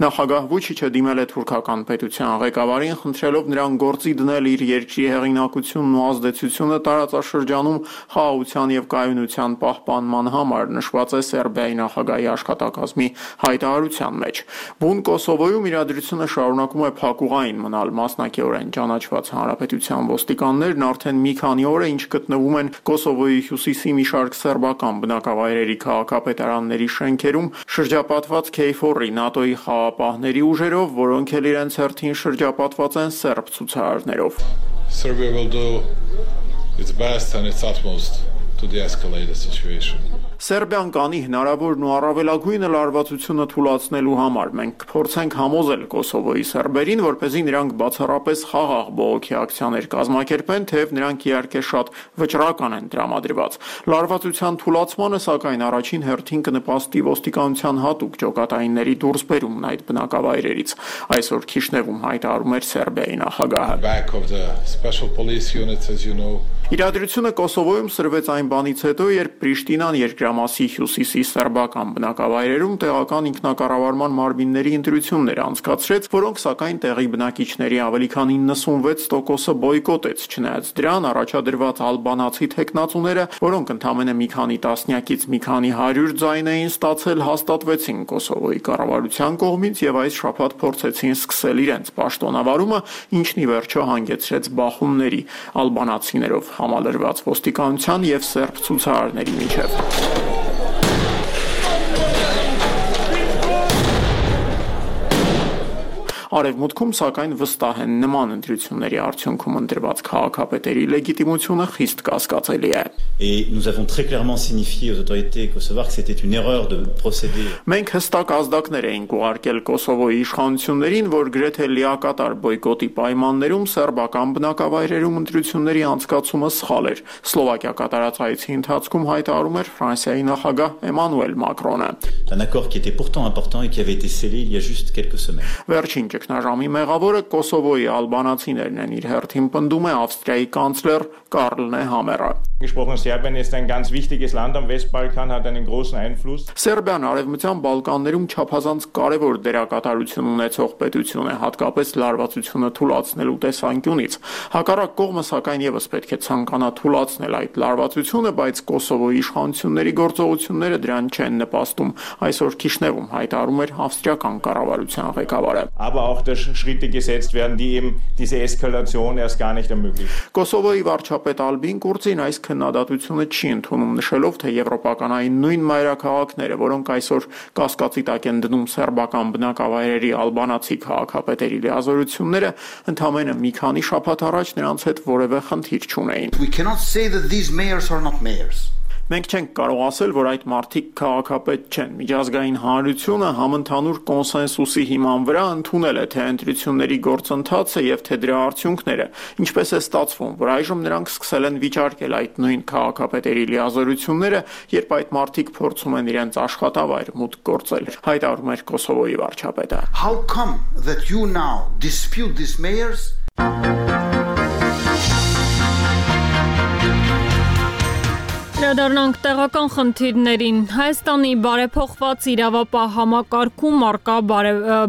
Նախագահ Վուչիչը դիմել է թուրքական պետության ղեկավարին, խնդրելով նրան գործի դնել իր երկրի հեղինակությունն ու ազդեցությունը տարածաշրջանում խաղաղության եւ կայունության պահպանման համար, նշված է Սերբիայի նախագահի աշխատակազմի հայտարարության մեջ։ Բուն Կոսովոյում իրադրությունը շարունակում է փակուղային մնալ, մասնակիորեն ճանաչված հանրապետության ոստիկաններն արդեն մի քանի օր է ինչ գտնվում են Կոսովոյի հյուսիսի մի շարք սերբական բնակավայրերի քաղաքապետարանների շենքերում, շրջապատված Քեյֆորի ՆԱՏՕ-ի խաղապահների ուժերով, որոնք էլ իրենց հերթին շրջապատված են սերբ ցուցարարներով։ Serbia will do its best and its utmost to de-escalate the situation. Սերբիան կանի հնարավորն ու առավելագույնը լարվածությունը թուլացնելու համար։ Մենք կփորձենք համոզել Կոսովոյի սերբերին, որպեսզի նրանք բացառապես խաղաղ բողոքի ակցիաներ կազմակերպեն, թեև նրանք իհարկե շատ վճռական են տրամադրված։ Լարվածության թուլացմանը սակայն առաջին հերթին կնպաստի ոստիկանության հատուկ ջոկատայինների դուրսբերումն այդ բնակավայրերից։ Այսօր Քիշնևում հայտարարում էր Սերբիայի նախագահը։ Իրադրությունը Կոսովոյում սրվեց այն բանից հետո, երբ Պրիշտինան երկրամասի հյուսիսի սերբական բնակավայրերում տեղական ինքնակառավարման մարմինների ընտրություններ անցկացրեց, որոնք սակայն տեղի բնակիչների ավելի քան իննսունվեց տոկոսը բոյկոտեց, չնայած դրան առաջադրված ալբանացի թեկնածուները, որոնք ընդամենը մի քանի տասնյակից մի քանի հարյուր ձայն էին ստացել, հաստատվեցին Կոսովոյի կառավարության կողմից եւ այս շաբաթ փորձեցին սկսել իրենց պաշտոնավարումը, ինչն ի վերջո հանգեցրեց բախումների ալբանացիներով համալրված ոստիկանության եւ սերբ ցուցարարների միջև։ Արևմուտքում սակայն վստահ են նման ընտրությունների արդյունքում ընտրված քաղաքապետերի լեգիտիմությունը խիստ կասկածելի է։ Et nous avons très clairement signifié aux autorités kosovares que c'était une erreur de procéder. Մենք հստակ ազդակներ էինք ուղարկել Կոսովոյի իշխանություններին, որ գրեթե լիակատար բոյկոտի պայմաններում սերբական բնակավայրերում ընտրությունների անցկացումը սխալ էր։ Սլովակիա կատարած այցի ընթացքում հայտարարում էր Ֆրանսիայի նախագահ Էմանուել Մակրոնը։ Un accord qui était pourtant important et qui avait été scellé il y a juste quelques semaines. Վերջին ճգնաժամի մեղավորը Կոսովոյի ալբանացիներն են, իր հերթին պնդում է Ավստրիայի կանցլեր Կարլ Նեհամերը։ Gesprochen, Serbien ist ein ganz wichtiges Land am Westbalkan, hat einen großen Einfluss. Սերբիան արևմտյան Բալկաններում չափազանց կարևոր դերակատարություն ունեցող պետություն է, հատկապես լարվածությունը թուլացնելու տեսանկյունից։ Հակառակ կողմը սակայն եւս պետք է ցանկանա թուլացնել այդ լարվածությունը, բայց Կոսովոյի իշխանությունների գործողությունները դրան չեն նպաստում։ Այսօր Քիշնևում հայտարարում էր ավստրիական կառավարության ղեկավարը։ Aber auch dass Schritte gesetzt werden, die eben diese Eskalation erst gar nicht ermöglichen. Կոսովոյի վարչապետ Ալբին Կուրծին այս քննադատությունը չի ընդունում, նշելով, թե եվրոպականային նույն մայրաքաղաքները, որոնք այսօր կասկածի տակ են դնում սերբական բնակավայրերի ալբանացի քաղաքապետերի լիազորությունները, ընդամենը մի քանի շաբաթ առաջ նրանց հետ որևէ խնդիր չունեին։ We cannot say that these mayors are not mayors. Մենք չենք կարող ասել, որ այդ մարդիկ քաղաքապետ չեն։ Միջազգային հանրությունը համընդհանուր կոնսենսուսի հիման վրա ընդունել է թե ընտրությունների գործընթացը եւ թե դրա արդյունքները։ Ինչպես է ստացվում, որ այժմ նրանք սկսել են վիճարկել այդ նույն քաղաքապետերի լիազորությունները, երբ այդ մարդիկ փորձում են իրենց աշխատավայր մուտք գործել։ Հայտարարում էր Կոսովոյի վարչապետը։ How come that you now dispute these mayors? Վերադառնանք տեղական խնդիրներին։ Հայաստանի բարեփոխված իրավապահ համակարգում արկա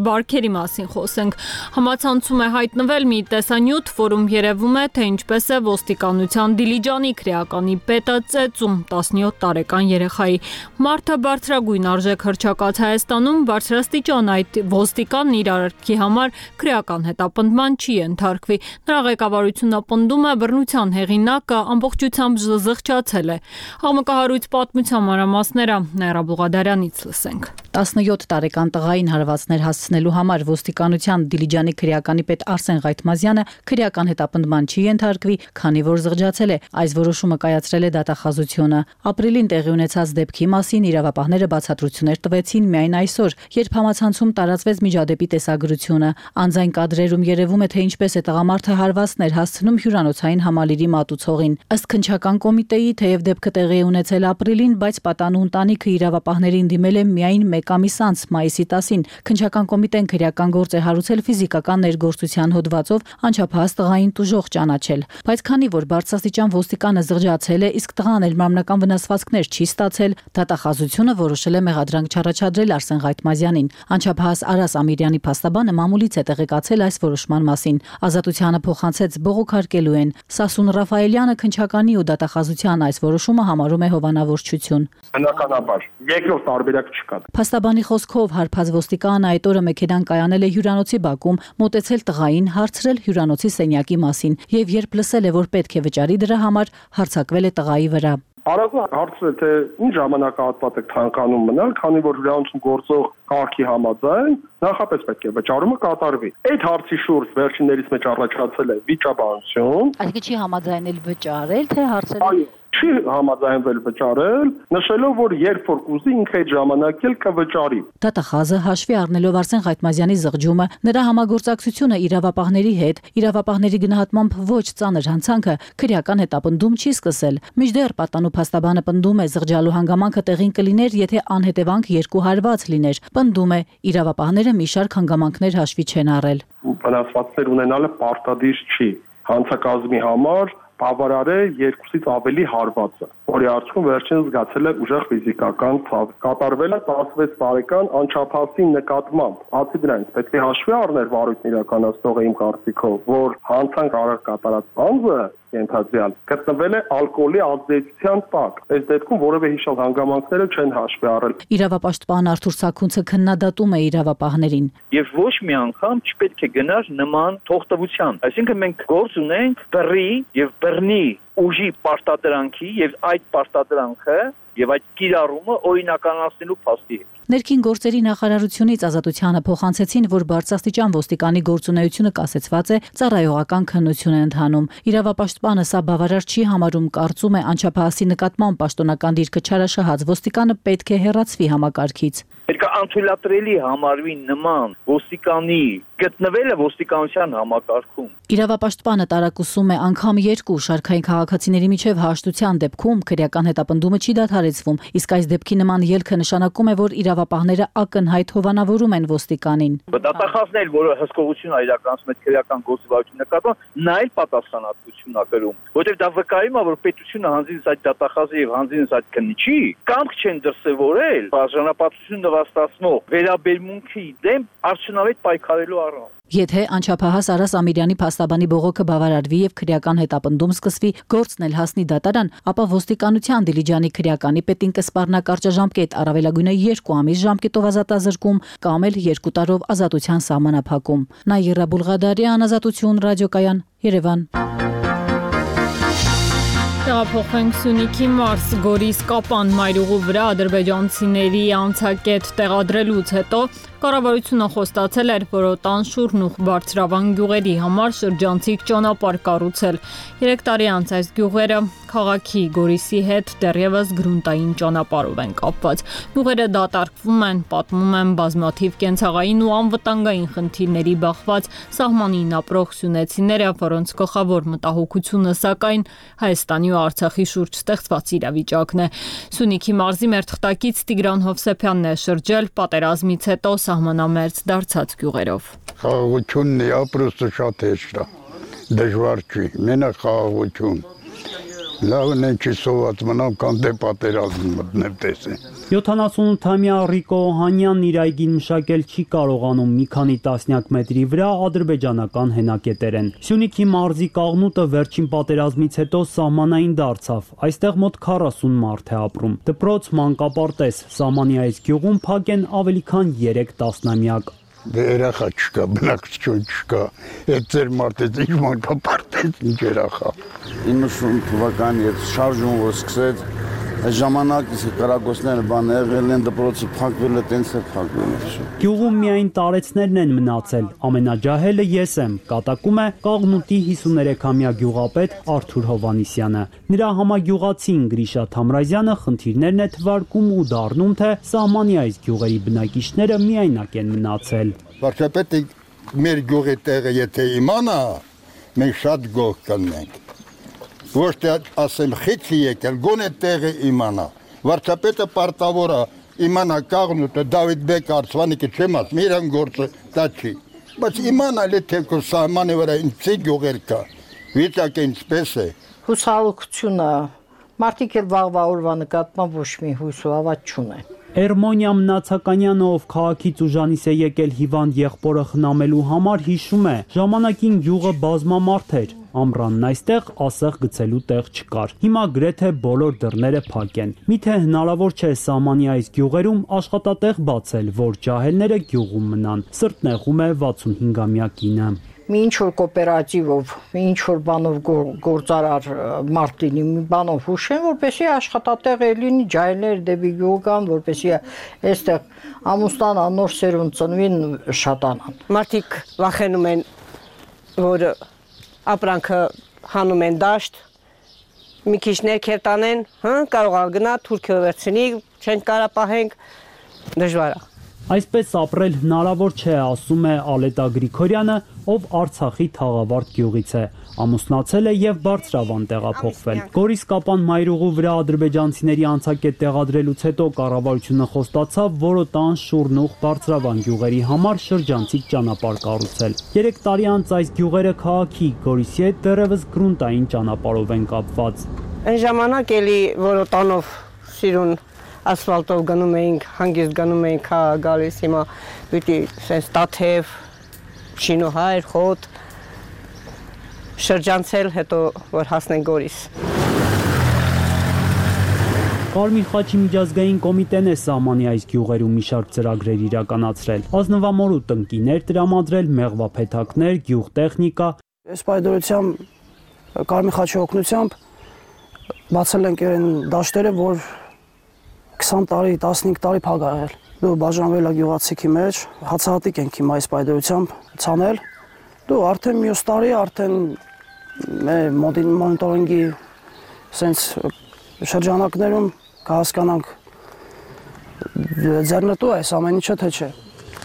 բարքերի մասին խոսենք։ Համացանցում է հայտնվել մի տեսանյութ, որում երևում է, թե ինչպես է ոստիկանության Դիլիջանի քրեականի պետը ծեծում տասնյոթ տարեկան երեխայի։ Մարդը բարձրագույն արժեք հռչակած Հայաստանում բարձրաստիճան այդ ոստիկանն իր արարքի համար քրեական հետապնդման չի ենթարկվի։ Նրա ղեկավարությունը պնդում է, բռնության հեղինակը ամբողջությամբ զղջացել է։ Համակահարույց պատմության մանրամասները Նաիրա Բուղադարյանից լսենք։ տասնյոթ տարեկան տղային հարվածներ հասցնելու համար ոստիկանության Դիլիջանի քրեականի պետ Արսեն Ղայթմազյանը քրեական հետապնդման չի ենթարկվի, քանի որ զղջացել է։ Այս որոշումը կայացրել է դատախազությունը։ Ապրիլին տեղի ունեցած դեպքի մասին իրավապահները բացատրություններ տվեցին միայն այսօր, երբ համացանցում տարածվեց միջադեպի տեսագրությունը։ Անձայն կադրերում երևում է, թե ինչպես է տղամարդը հարվածներ հասցնում հյուրանոցային համալիրի մատուցողին։ Ըստ քննչական կոմիտեի, թեև դեպքը տեղի է ունեցել ապրիլին, բայց պատանու ընտանիքը իրավապահներին դիմել է միայն մեկ ամիս անց, մայիսի տասին։ Քննչական կոմիտեն քրեական գործ է հարուցել ֆիզիկական ներգործության հոդվածով անչափահաս տղային տուժող ճանաչել։ Բայց քանի որ բարձրաստիճան ոստիկանը զղջացել է, իսկ տղան էլ մարմնական վնասվածքներ չի ստացել, դատախազությունը որոշել է մեղադրանք չառաջադրել Արսեն Ղայթմազյանին։ Անչափահաս Արաս Ամիրյանի փաստաբանը մամուլից է տեղեկացել այս որոշման մասին։ Ազատությանը փոխանցեց բողոքարկելու են։ Սասուն Ռաֆայելյանը քննչականի ու դատախազության այս որոշումը համարում է հովանավորչություն։ Բնականաբար, երկրորդ տարբերակ չկա։ Փաստաբանի խոսքով հարբած ոստիկանը այդ օրը մեքենան կայանել է հյուրանոցի բակում, մոտեցել տղային, հարցրել հյուրանոցի սենյակի մասին եւ երբ լսել է, որ պետք է վճարի դրա համար, հարձակվել է տղայի վրա։ Արագը հարցրել թե ինչ ժամանակահատված եք ցանկանում մնալ, քանի որ հյուրանոցում գործող կարգի համաձայն նախապես պետք է վճարումը կատարվի։ Այդ հարցի շուրջ վերջիններից մեջ առաջացել է վիճաբանություն։ Այսինքն չի համաձայնել վճարել, թե հարցել։ Այո, չի համաձայնվել վճարել, նշելով, որ երբ որ կուզի ինքը այդ ժամանակ էլ կվճարի։ Դատախազը հաշվի առնելով Արսեն Ղայթմազյանի զղջումը, նրա համագործակցությունը իրավապահների հետ, իրավապահների գնահատմամբ ոչ ծանր հանցանքը քրեական հետապնդում չի սկսել։ Մինչդեռ պատանու փաստաբանը պնդում է զղջալու հանգամանքը տեղին կլիներ, եթե անհետևանք երկու հարված լիներ։ Պնդում է իրավապահները մի շարք հանգամանքներ հաշվի չեն առել։ Վնասվածքներ ունենալը պարտադիր չի։ Հանցակազմի համար բավարար է երկուսից ավելի հարվածը, որի արդյունքում վերջինս զգացել է ուժեղ ֆիզիկական ցավ։ Կատարվել է տասնվեց տարեկան անչափահասի նկատմամբ։ Բացի դրանից պետք է հաշվի առնել վարույթն իրականացնողը իմ կարծիքով, որ հանցանք արար կատարած անձը ենթադրյալ գտնվել է ալկոհոլի ազդեցության տակ։ Այս դեպքում որևէ հիշալ հանգամանքները չեն հաշվի առել։ Իրավապաշտպան Արթուր Սաքունցը քննադատում է իրավապահներին։ Եվ ոչ մի անգամ չպետք է գնար նման թողտվության։ Այսինքն մենք գործ ունենք բռի եւ բռնի ուժի պարտադրանքի եւ այդ պարտադրանքը եւ այդ կիրառումը օրինականացնելու փաստի հետ։ Ներքին գործերի նախարարությունից Ազատությանը փոխանցեցին, որ բարձրաստիճան ոստիկանի գործունեությունը կասեցված է, ծառայողական քննություն է ընթանում։ Իրավապաշտպանը սա բավարար չի համարում, կարծում է անչափահասի նկատմամբ պաշտոնական դիրքը չարաշահած ոստիկանը պետք է հեռացվի համակարգից։ Պետք է անթույլատրելի համարվի նման ոստիկանի գտնվելը ոստիկանության համակարգում։ Իրավապաշտպանը տարակուսում է անգամ երկու շարքային քաղաքացիների միջև հաշտության դեպքում քրեական հետապնդումը չի դադարեցվում, իսկ այս դեպքի նման ելքը նշանակում է, որ իրավապահները ակնհայտ հովանավորում են ոստիկանին։ Դատախազն էլ, որը հսկողություն է իրականացնում այդ քրեական գործիվարության նկատմամբ, նա էլ պատասխանատվություն է կրում, որտեղ դա վկայում է, որ պետությունը հանձինս այդ դատախազի եւ հանձինս այդ քննիչի կամք չեն դրսեւորել բաժանապատվություն նվաստացնող վերաբերմունքի դեմ արդյունավետ պայքարելու առանց։ Եթե անչափահաս Արաս Ամիրյանի փաստաբանի բողոքը բավարարվի եւ քրեական հետապնդում սկսվի, գործն էլ հասնի դատարան, ապա ոստիկանության Դիլիջանի քրեականի պետին կսպառնա կարճաժամկետ առավելագույնը երկու ամիս ժամկետով ազատազրկում կամ էլ երկու տարով ազատության սահմանափակում։ Նաիրա Բուլղադարյան, Ազատություն, ռադիոկայան, Երևան։ Տեղափոխենք Սյունիքի Մարս Գորիս Կապան մայրուղու վրա ադրբեջանցիների անցակետ տեղադրելուց հետո կառավարությունը խոստացել էր Որոտան, Շուրնուխ, Բարձրավան գյուղերի համար շրջանցիկ ճանապարհ կառուցել։ Երեք տարի անց այս գյուղերը քաղաքի Գորիսի հետ դեռևս գրունտային ճանապարհով են կապված։ Գյուղերը դատարկվում են, պատմում են բազմաթիվ կենցաղային ու անվտանգային խնդիրների բախված սահմանին ապրող սյունեցիները, որոնց գլխավոր մտահոգությունը սակայն Հայաստանի ու Արցախի շուրջ ստեղծված իրավիճակն է։ Սյունիքի մարզի մեր թղթակից Տիգրան Հովսեփյանն է շրջել պատերազմից հետո սահմանամերձ դարձած գյուղերով։ Խաղաղությունն է, ապրոստը շատ հեշտ է, դժվար չի, մենակ խաղաղություն։ Լավն է չի սոված մնամ կամ դե պատերազմ մտնել տեսեն։ յոթանասունութամյա Ռիկո Օհանյանն իր այգին մշակել չի կարողանում մի քանի տասնյակ մետրի վրա ադրբեջանական հենակետեր են։ Սյունիքի մարզի Կաղնուտը վերջին պատերազմից հետո սահմանային դարձավ։ Այստեղ մոտ քառասուն մարդ է ապրում։ Դպրոց, մանկապարտեզ, սահմանի այս գյուղում փակ են ավելի քան երեք տասնամյակ։ Դե երախա չկա, բնակչություն չկա, այդ ձեր մարդեց ինչ մանկապարտեզ, ինչ երախա։ իննսուն թվականի հետ շարժում որ սկսեց, այդ ժամանակ կրակոցները բան եղել են, դպրոցը փակվել է, տենց է փակվել է։ Գյուղում միայն տարեցներն են մնացել, ամենաջահելը ես եմ, կատակում է Կաղնուտի հիսուներեքամյա գյուղապետ Արթուր Հովանիսյանը։ Նրա համագյուղացին Գրիշա Թամրազյանը խնդիրներն է թվարկում ու դառնում, թե սահմանի այս գյուղերի բնակիչները միայնակ են մնացել։ Վարչապետը մեր գյուղի տեղը եթե իմանա, մենք շատ գող կնենք։ Ոչ թե ասեմ խիցի եկել, գոնե տեղը իմանա։ Վարչապետը պարտավոր է իմանա Կաղնուտը, Դավիթ Բեկ Արցվանիկը չեմ ասում, իրան գործը դա չի։ Բայց իմանալ է թե քո սահմանի վրա ինչ գյուղեր կա, վիճակը ինչպես է։ Հուսալուկությունը, մարդիկ էլ վաղվա օրվա նկատմամբ ոչ մի հույս ու ավատ չունեն։ Էրմոնիա Մնացականյանը, ով քաղաքից ուժանից է եկել հիվանդ եղբորը խնամելու համար, հիշում է, ժամանակին գյուղը բազմամարդ էր, ամռանն այստեղ ասեղ գցելու տեղ չկար։ Հիմա գրեթե բոլոր դռները փակ են։ Միթե հնարավոր չէ սահմանի այս գյուղերում աշխատատեղ բացել, որ ջահելները գյուղում մնան։ Սրտն եղում է վաթսունհինգամյա կինը։ Մի ինչ-որ կոոպերատիվով, մի ինչ-որ բանով գործարար մարդ լինի, մի բանով հուշեն, որպեսզի աշխատատեղ լինի, ջահելներ դեպի գյուղ գան, որպեսզի այստեղ ամուսնան նոր սերունդ ծնվին, շատանան։ Մարդիկ վախենում են, որ ապրանքը հանում են դաշտ, մի քիչ ներքև տանեն, հա, կարող է գնա թուրքը վերցնի, չեն կարա պահենք, դժվար է։ Այսպես ապրել հնարավոր չէ, ասում է Ալետա Գրիգորյանը, ով Արցախի Թաղավարտ գյուղից է, ամուսնացել է եւ Բարձրավան տեղափոխվել։ Գորիս Կապան մայրուղու վրա ադրբեջանցիների անցակետ տեղադրելուց հետո կառավարությունը խոստացավ Որոտան, Շուրնուխ, Բարձրավան գյուղերի համար շրջանցիկ ճանապարհ կառուցել։ Երեք տարի անց այս գյուղերը քաղաքի Գորիսի հետ դեռևս գրունտային ճանապարհով են կապված։ Այն ժամանակ էլի Որոտանով սիրուն ասֆալտով գնում էինք, հանգիստ գնում էինք գալիս, հիմա պիտի սենց տաթև, շինուհայր, խոտ, շրջանցել, հետո որ հասնենք Գորիս։ Կարմիր խաչի միջազգային կոմիտեն է սահմանի այս գյուղերում մի շարք ծրագրեր իրականացրել, ազնվամորու տնկիներ տրամադրել, մեղվափեթակներ, գյուղտեխնիկա։ Այս պայդորությամբ Կարմիր խաչի օգնությամբ բացել ենք այն դաշտերը, որ քսան տարի, տասնհինգ տարի փակ ա եղել։ Դու բաժանվել ա գյուղացիքի մեջ, հացահատիկ ենք հիմա այս պայդրությամբ ցանել։ Դու արդեն մյուս տարի արդեն մեր մոնիտորինգի sense շրջանակներում կհասկանանք ձեռնտու է ամեն ինչը թե չէ։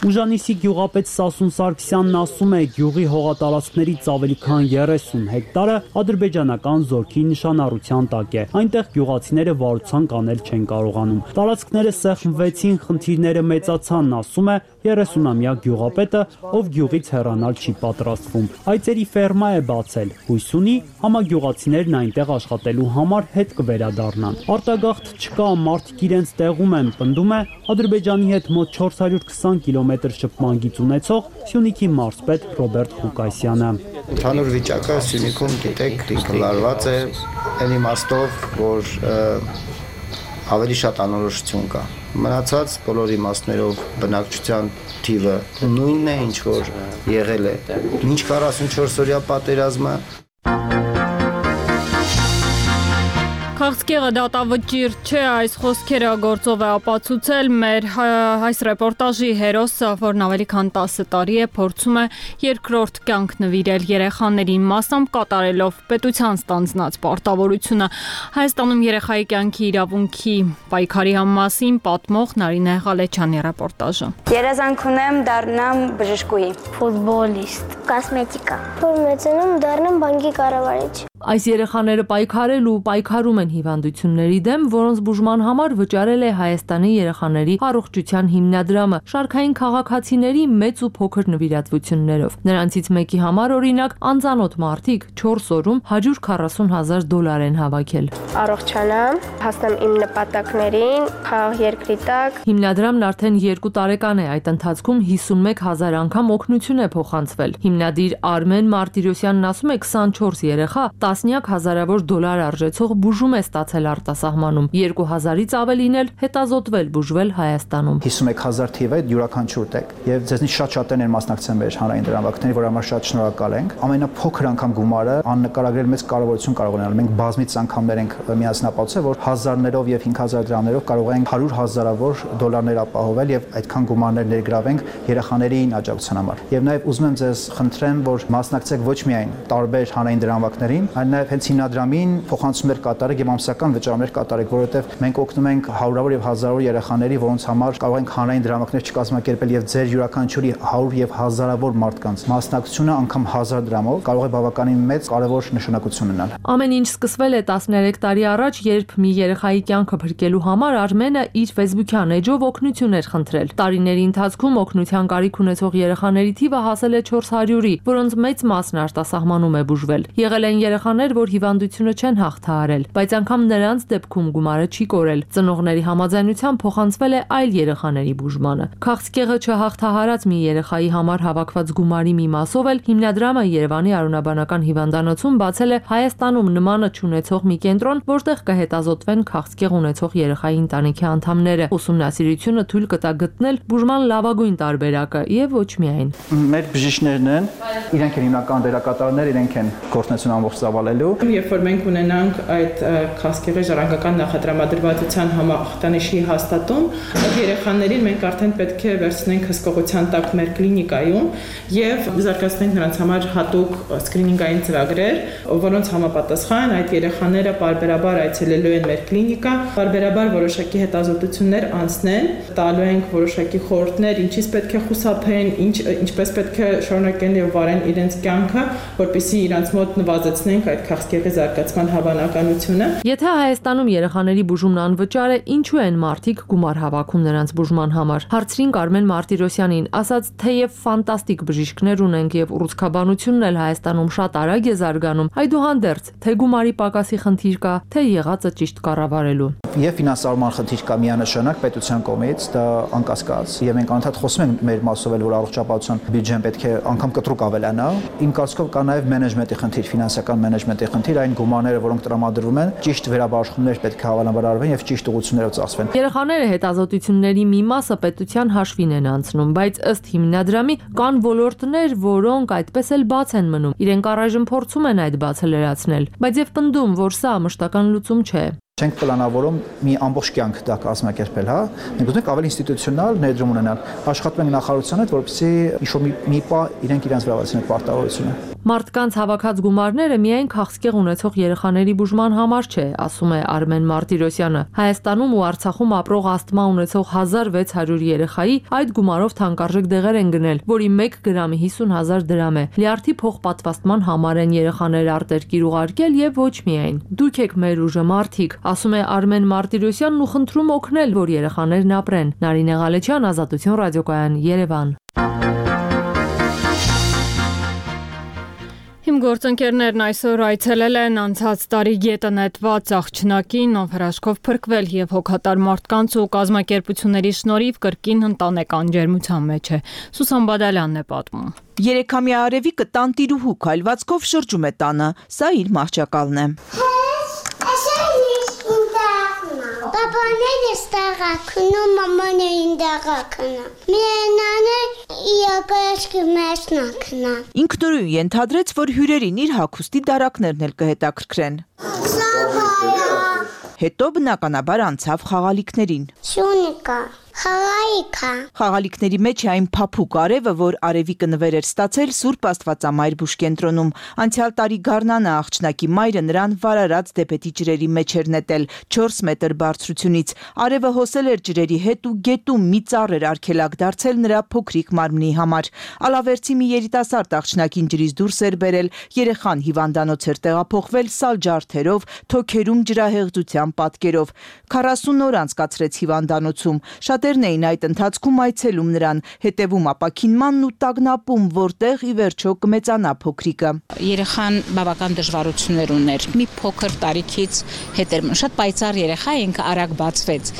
Ուժանիսի գյուղապետ Սասուն Սարգսյանն ասում է, գյուղի հողատարածքներից ավելի քան երեսուն հեկտարը ադրբեջանական զորքի նշանառության տակ է։ Այնտեղ գյուղացիները վարության կանել չեն կարողանում։ Տարածքները սեղմվեցին, խնդիրները մեծացան, ասում է երեսունամյա գյուղապետը, ով գյուղից հեռանալ չի պատրաստվում։ Այծերի ֆերմա է բացել, հույս ունի համագյուղացիներն այնտեղ աշխատելու համար հետ կվերադառնան։ Արտագաղթ չկա, մարդիկ իրենց տեղում են, պնդում է Ադրբեջանի հետ մոտ չորս հարյուր քսան կիլոմետր շփման գիծ ունեցող Սյունիքի մարզպետ Ռոբերտ Ղուկասյանը։ Ընդհանուր վիճակը Սյունիքում գիտեք դիկլարված է այն իմաստով, որ ավելի շատ անորոշություն կա։ Մնացած բոլոր իմաստներով բնակչության թիվը նույնն է, ինչ որ եղել է մինչ քառասունչորս օրյա պատերազմը։ Քաղցկեղը դատավճիռ չէ, այս խոսքերը գործով է ապացուցել մեր այս ռեպորտաժի հերոսը, որն ավելի քան տասը տարի է փորձում է երկրորդ կյանք նվիրել երեխաներին, մասամբ կատարելով պետության ստանձնած պարտավորությունը։ Հայաստանում երեխայի կյանքի իրավունքի պայքարի մասին պատմող Նարինե Ղալեչյանի ռեպորտաժը։ Երազանք ունեմ դառնամ բժշկուհի, ֆուտբոլիստ, կոսմետիկա, որ մեծանում դառնամ բանկի կառավարիչ։ Այս երեխաները պայքարել ու պայքարում են հիվանդությունների դեմ, որոնց բուժման համար վճարել է Հայաստանի երեխաների առողջության հիմնադրամը շարքային քաղաքացիների մեծ ու փոքր նվիրատվություններով։ Նրանցից մեկի համար օրինակ անծանոթ մարդիկ չորս օրում հարյուր քառասուն հազար դոլար են հավաքել։ Առողջանամ, հասնեմ իմ նպատակներին, խաղ երկրի տակ։ Հիմնադրամն արդեն երկու տարեկան է, այդ ընթացքում հիսունմեկ հազար անգամ օգնություն է փոխանցվել։ Հիմնադիր Արմեն Մարտիրոսյանն ասում է քսանչորս երեխա տասնյակ հազարավոր դոլար արժեցող բուժում է ստացել արտասահմանում, երկու հազարից ավելին էլ հետազոտվել բուժվել Հայաստանում։ հիսունմեկ հազար թիվ է յուրաքանչյուր տեղ, եւ ձեզնից շատ-շատերն են մասնակցել մեր հանրային դրամարկղների, որ համար շատ շնորհակալ ենք։ Ամենափոքր անգամ գումարը աննկարագրել մեծ կարևորություն կարող ունենալ։ Մենք բազմից անգամներ ենք միասնապատուցել, որ հազարներով եւ հինգ հազար դրամներով կարող ենք հարյուր հազարավոր դոլարներ ապահովել եւ այդքան գումարներ ներգրավենք երեխաներին աջակցության համար։ Եվ նաեւ ուզում եմ ձեզ խնդրեմ, որ մասնակցեք ոչ միայն տարբեր հանրային դրամարկղներին, այլ նաեւ հենց հիմնադրամին փոխանցումներ կատարեք եւ ամսական վճարումներ կատարեք, որովհետեւ մենք օգնում ենք հարյուրավոր եւ հազարավոր երեխաների, որոնց համար կարող ենք հանրային դրամարկղներ չկազմակերպել եւ ձեր յուրաքանչյուրի հարյուր եւ հազարավոր մարդկանց մասնակցությունը անգամ հազար դրամով կարող է բավականին մեծ կարևոր նշանակություն ունենալ։ Ամեն ինչ սկսվել է տասներեք տարի առաջ, երբ մի երեխայի կյանքը փրկելու համար Արմենը իր Facebook-յան էջով օգնություն էր խնդրել։ Տարիների ընթացքում օգնության կարիք ունեցող երեխաների թիվը հասել է չորս հարյուրի, որոնց մեծ մասն արտասահմանում է բուժվել։ Եղել են երեխաներ, որ հիվանդությունը չեն հաղթահարել, բայց անգամ նրանց դեպքում գումարը չի կորել։ Ծնողների համաձայնությամբ փոխանցվել է այլ երեխաների բուժմանը։ Քաղցկեղը չհաղթահարած մի երեխայի համար հավաքված գումարի մի մասով էլ հիմնադրամը Երևանի Արոնաբանական հիվանդանոցում բացել է Հայաստանում նմանը չունեցող մի կենտրոն, որտեղ կհետազոտվեն քաղցկեղ ունեցող երեխայի ընտանիքի անդամները։ Ուսումնասիրությունը թույլ կտա գտնել բուժման լավագույն տարբերակը եւ ոչ միայն։ Մեր բժիշկներն են, իրենք են հիմնական դերակատարներ, իրենք են գործունեություն ամբողջ ծավալելու։ Երբ որ մենք ունենանք այդ քաղցկեղի ժառանգական նախատրամադրվածության համախտանիշի հաստատում, այդ երեխաներին մենք արդեն պետք է վերցնենք հսկողության տակ մեր կլինիկայում եւ զարգացնենք նրանց համար հատուկ սկրինինգային ծրագրեր, որոնց համապատասխան այդ երեխաները պարբերաբար այցելելու են մեր կլինիկա, պարբերաբար որոշակի հետազոտություններ անցնեն, տալու ենք որոշակի խորհուրդներ, ինչից պետք է խուսափեն, ինչ ինչպես պետք է շարունակեն եւ վարեն իրենց կյանքը, որպեսզի իրենց մոտ նվազեցնենք այդ քաղցկեղի զարգացման հավանականությունը։ Եթե Հայաստանում երեխաների բուժումն անվճար է, ինչու են մարդիկ գումար հավաքում նրանց բուժման համար։ Հարցրին Արմեն Մարտիրոսյանին, ասաց, թեև ֆանտաստիկ բժիշկներ ունենք եւ ուռուցքաբանությունն էլ Հայաստանում շատ արագ է զարգանում, այդուհանդերձ, թե գումարի պակասի խնդիր կա, թե եղածը ճիշտ կառավարելու։ Եվ ֆինանսավորման խնդիր կա միանշանակ պետության կողմից, դա անկասկած, եւ մենք անդադ խոսում ենք մեր մասով էլ, որ առողջապահության բյուջեն պետք է անգամ կտրուկ ավելանա։ Իմ կարծիքով կա նաեւ մենեջմենտի խնդիր, ֆինանսական մենեջմենտի խնդիր, այն գումարները, որոնք տրամադրվում են, ճիշտ վերաբաշխումներ պետք է հավանաբար արվեն եւ ճիշտ ուղղություններով ծախսվեն։ Երեխաները հետազոտությունների մի մասը պետության հաշվին են անցնում, բայց ըստ հիմնադրամի կան ոլորտներ, որոնք այդպես էլ բաց են մնում։ Իրենք առայժմ փորձում են այդ բացը լրացնել, բայց եւ պնդում, որ սա մշտական լուծում չէ։ Չենք պլանավորում մի ամբողջ կյանք դա կազմակերպել, հա։ Մենք ուզում ենք ավելի ինստիտուցիոնալ ներդրում ունենալ։ Աշխատում ենք նախարարության հետ, որպեսզի ինչ-որ մի, մի պա իրենք իրենց վերաբերեցնեն պարտավորությունը։ Մարդկանց հավաքած գումարները միայն քաղցկեղ ունեցող երեխաների բուժման համար չէ, ասում է Արմեն Մարտիրոսյանը։ Հայաստանում ու Արցախում ապրող ասթմա ունեցող հազար վեց հարյուր երեխայի այդ գումարով թանկարժեք դեղեր են գնել, որի մեկ գրամի հիսուն հազար դրամ է։ Լյարդի փոխպատվաստման համար են երեխաները արտերկիր ուղարկել եւ ոչ միայն։ Դուք եք մեր ուժը, մարդիկ, ասում է Արմեն Մարտիրոսյանն ու խնդրում օգնել, որ երեխաներն ապրեն։ Նարինե Ղալեչյան, Ազատություն ռադիոկայան, Երևան։ Իմ գործընկերներն այսօր այցելել են անցած տարի գետը նետված աղջնակին, ով հրաշքով փրկվել եւ հոգատար մարդկանց ու կազմակերպությունների շնորհիվ կրկին ընտանեկան ջերմության մեջ է։ Սուսան Բադալյանն է պատմում։ Երեքամյա Արևիկը տանտիրուհու քայլվածքով շրջում է տանը, սա իր մահճակալն է։ Պապաները ստաղակնում, մամաներին դաղակնում։ Մենանը իակաշկի մեջնակնա։ Ինքնուրույն ենթադրեց, որ հյուրերին իր հագուստի դարակներն էլ կհետաքրքրեն։ Հետո բնականաբար անցավ խաղալիքներին։ Շունիկա, խաղալիքա։ Խաղալիքների մեջ է այն փափուկ արևը, որ Արևիկը նվեր էր ստացել Սուրբ Աստվածամայր բուժկենտրոնում։ Անցյալ տարի գարնանը աղջնակի մայրը նրան վարարած դեպետի ջրերի մեջ էր նետել չորս մետր բարձրությունից։ Արևը հոսել էր ջրերի հետ ու գետում մի ծառ էր արգելակ դարձել նրա փոքրիկ մարմնի համար։ Ալավերցի մի երիտասարդ աղջնակին ջրից դուրս էր բերել, երեխան հիվանդանոց էր տեղափոխվել սալ ջարդերով, թոքերում ջրահեղձության պատկերով։ քառասուն օր անցկացրեց հիվանդանոցում։ Շատերն էին այդ ընթացքում այցելում նրան, հետևում ապաքինմանն ու տագնապում, որտեղ ի վերջո կմեծանա փոքրիկը։ Երեխան բավական դժվարություններ ուներ։ Մի փոքր տարիքից հետ էր շատ պայծառ երեխա, ինքը արագ բացվեց,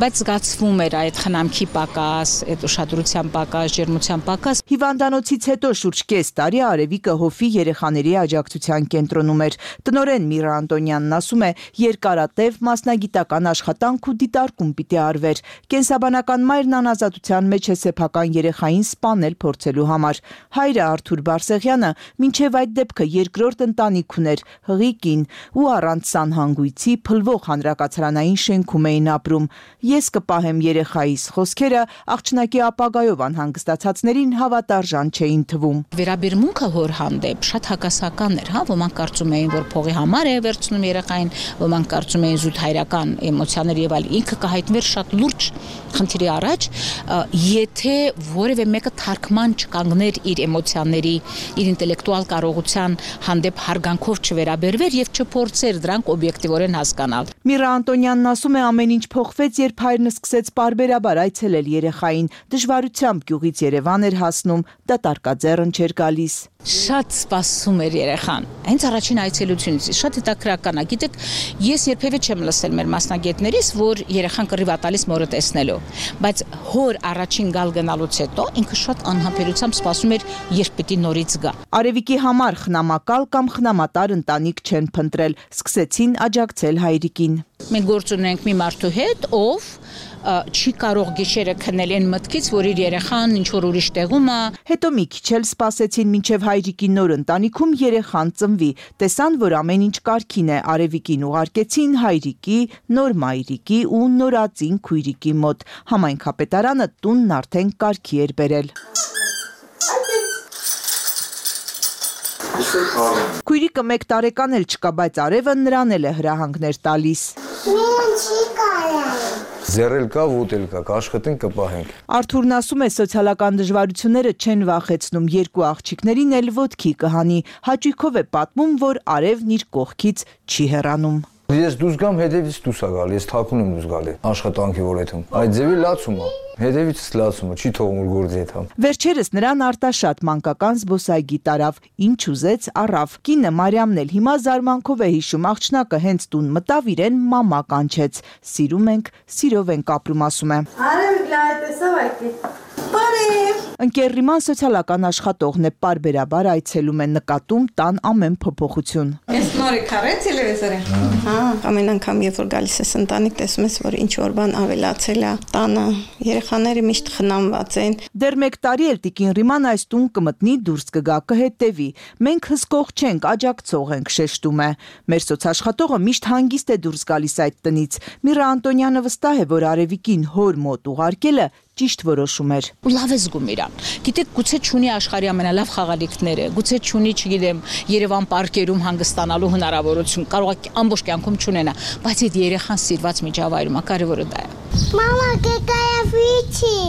բայց զգացվում էր այդ խնամքի պակաս, այդ ուշադրության պակաս, ջերմության պակաս։ Հիվանդանոցից հետո շուրջ կես տարի Արևիկը Հոֆի երեխաների աջակցության կենտրոնում էր։ Տնօրեն Միրա Անտոնյանն ասում է, երկարատև մասնագիտական աշխատանք ու դիտարկում պիտի արվեր։ Կենսաբանական մայրն անազատության մեջ է սեփական երեխային սպանել փորձելու համար։ Հայրը Արթուր Բարսեղյանը մինչև այդ դեպքը երկրորդ ընտանիք ուներ, հղի կին, ու առանց սանհանգույցի փլվող հանրակացարանային շենքում էին ապրում։ Ես կպահեմ երեխայիս խոսքերը աղջնակի ապագայով անհանգստացածներին հավատարժան չէին թվում։ Վերաբերմունքը հոր հանդեպ շատ հակասական էր, հա, ոմանք կարծում էին, որ փողի համար է վերցնում երեխային, ոմանք կարծում էին զուտ հայրական էմոցիաներ եւ այլ։ Ինքը կհայտնվեր շատ լուրջ խնդիրի առաջ, եթե որևէ մեկը թարգման չկանգներ իր էմոցիաների, իր ինտելեկտուալ կարողության հանդեպ հարգանքով չվերաբերվեր եւ չփորձեր դրանք օբյեկտիվորեն հասկանալ։ Միրա Անտոնյանն ասում է, ամեն ինչ փոխվեց, երբ հայրն սկսեց պարբերաբար այցելել երեխային, դժվարությամբ գյուղից Երևան էր հասնում, դատարկաձեռն չէր գալիս։ Շատ սպասում էր երեխան։ Հենց առաջին այցելությունից շատ հետաքրքրական է։ Գիտեք, ես երբևէ չեմ լսել մեր մասնագետներից, որ երեխան կռիվ է տալիս մորը տեսնելու, բայց հոր առաջին գալ գնալուց հետո ինքը շատ անհամբերությամբ սպասում էր, երբ պիտի նորից գա։ Արևիկի համար խնամակալ կամ խնամատար ընտանիք չեն փնտրել, սկսեցին աջակցել հայրիկին։ Մենք գործ ունենք մի մարդու հետ, ով չի կարող գիշերը քնել այն մտքից, որ իր երեխան ինչ որ ուրիշ տեղում է։ Հետո մի քիչ էլ սպասեցին մինչև հայրիկի նոր ընտանիքում երեխան ծնվի։ Տեսան, որ ամեն ինչ կարգին է, Արևիկին ուղարկեցին հայրիկի, նոր մայրիկի ու նորածին քույրիկի մոտ։ Համայնքապետարանը տունն արդեն կարգի էր բերել։ Քույրիկը մեկ տարեկան էլ չկա, բայց Արևը նրան էլ է հրահանգներ տալիս։ Ձեռել կա, ուտել կա, կաշխատենք, կպահենք։ Արթուրն ասում է, սոցիալական դժվարությունները չեն վախեցնում, երկու աղջիկներին էլ ոտքի կհանի։ Հաճույքով է պատմում, որ Արևն իր կողքից չի հեռանում։ Ես դուրս գամ, հետևից դուրս է գալի, ես թաքուն եմ դուրս գալի, աշխատանքի որեթում։ Այդ ձևի լացում է, հետևից լացում է, չի թողում որ գործի հետ համ։ Վերջերս նրան արտաշատ մանկական զբոսայգի տարավ, ինչ ուզեց առավ։ Կինը Մարիամն էլ հիմա զարմանքով է հիշում, աղջնակը հենց տուն մտավ, իրեն մամա կանչեց։ Սիրում ենք, սիրով ենք ապրում, ասում է։ Արև լայ տեսավ այդի։ Բարև։ Ընկերրիման սոցիալական աշխատողն է, պարբերաբար այցելում է, նկատում տան ամեն փոփոխություն։ Ես նորի քարեց տելևիզորը։ Հա, ամեն անգամ երբ որ գալիս ես ընտանիք, տեսում ես, որ ինչ որ բան ավելացել է տանը, երեխա երեխաները միշտ խնամված են։ Դեռ մեկ տարի էլ տիկին Ռիման այս տուն կմտնի, դուրս կգա, կհետևի։ Մենք հսկող չենք, աջակցող ենք, շեշտում է։ Մեր սոցաշխատողը միշտ հանգիստ է դուրս գալիս այդ տնից։ Միրա Անտոնյանը վստահ է, որ Արևիկին հոր մոտ ուղարկելը ճիշտ որոշում էր։ Ու լավ է զգում իրան։ Գիտեք, գուցե չունի աշխարհի ամենալավ խաղալիքները, գուցե չունի, չգիտեմ, Երևան պարկերում հանգստանալու հնարավորություն, կարող է ամբողջ կյանքում չունենա, բայց այդ երեխան սիրված միջավայրում է, կարևորը դա է։ Մամա, կեկայա վիճի։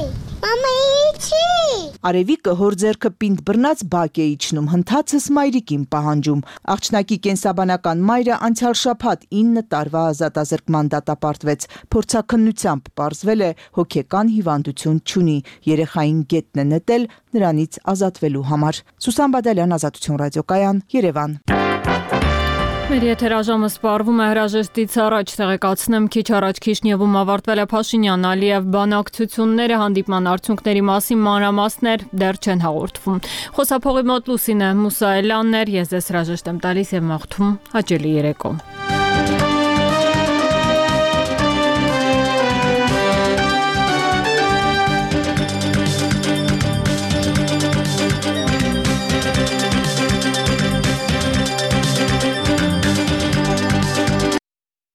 Մամա, իջի։ Արևիկը հոր ձեռքը պինդ բռնած բակ է իջնում, հնդածս մայրիկին պահանջում։ Աղջնակի կենսաբանական մայրը անցյալ շաբաթ ինը տարվա ազատազրկման դատապարտվեց։ Փորձաքննությամբ պարզվել է հոգեկան հիվանդություն չունի, երեխային գետն է նետել նրանից ազատվելու համար։ Սուսան Բադալյան, Ազատություն ռադիոկայան, Երևան։ Մեր եթերաժամը սպառվում է հրաժեշտից առաջ, տեղեկացնեմ, քիչ առաջ Քիշնևում ավարտվել է Փաշինյան-Ալիև բանակցությունները, հանդիպման արդյունքների մասին մանրամասներ դեռ չեն հաղորդվում։ Խոսափողի մոտ Լուսինե Մուսայելյանն էր, ես ձեզ հրաժեշտ եմ տալիս եւ մաղթում հաճելի երեկո։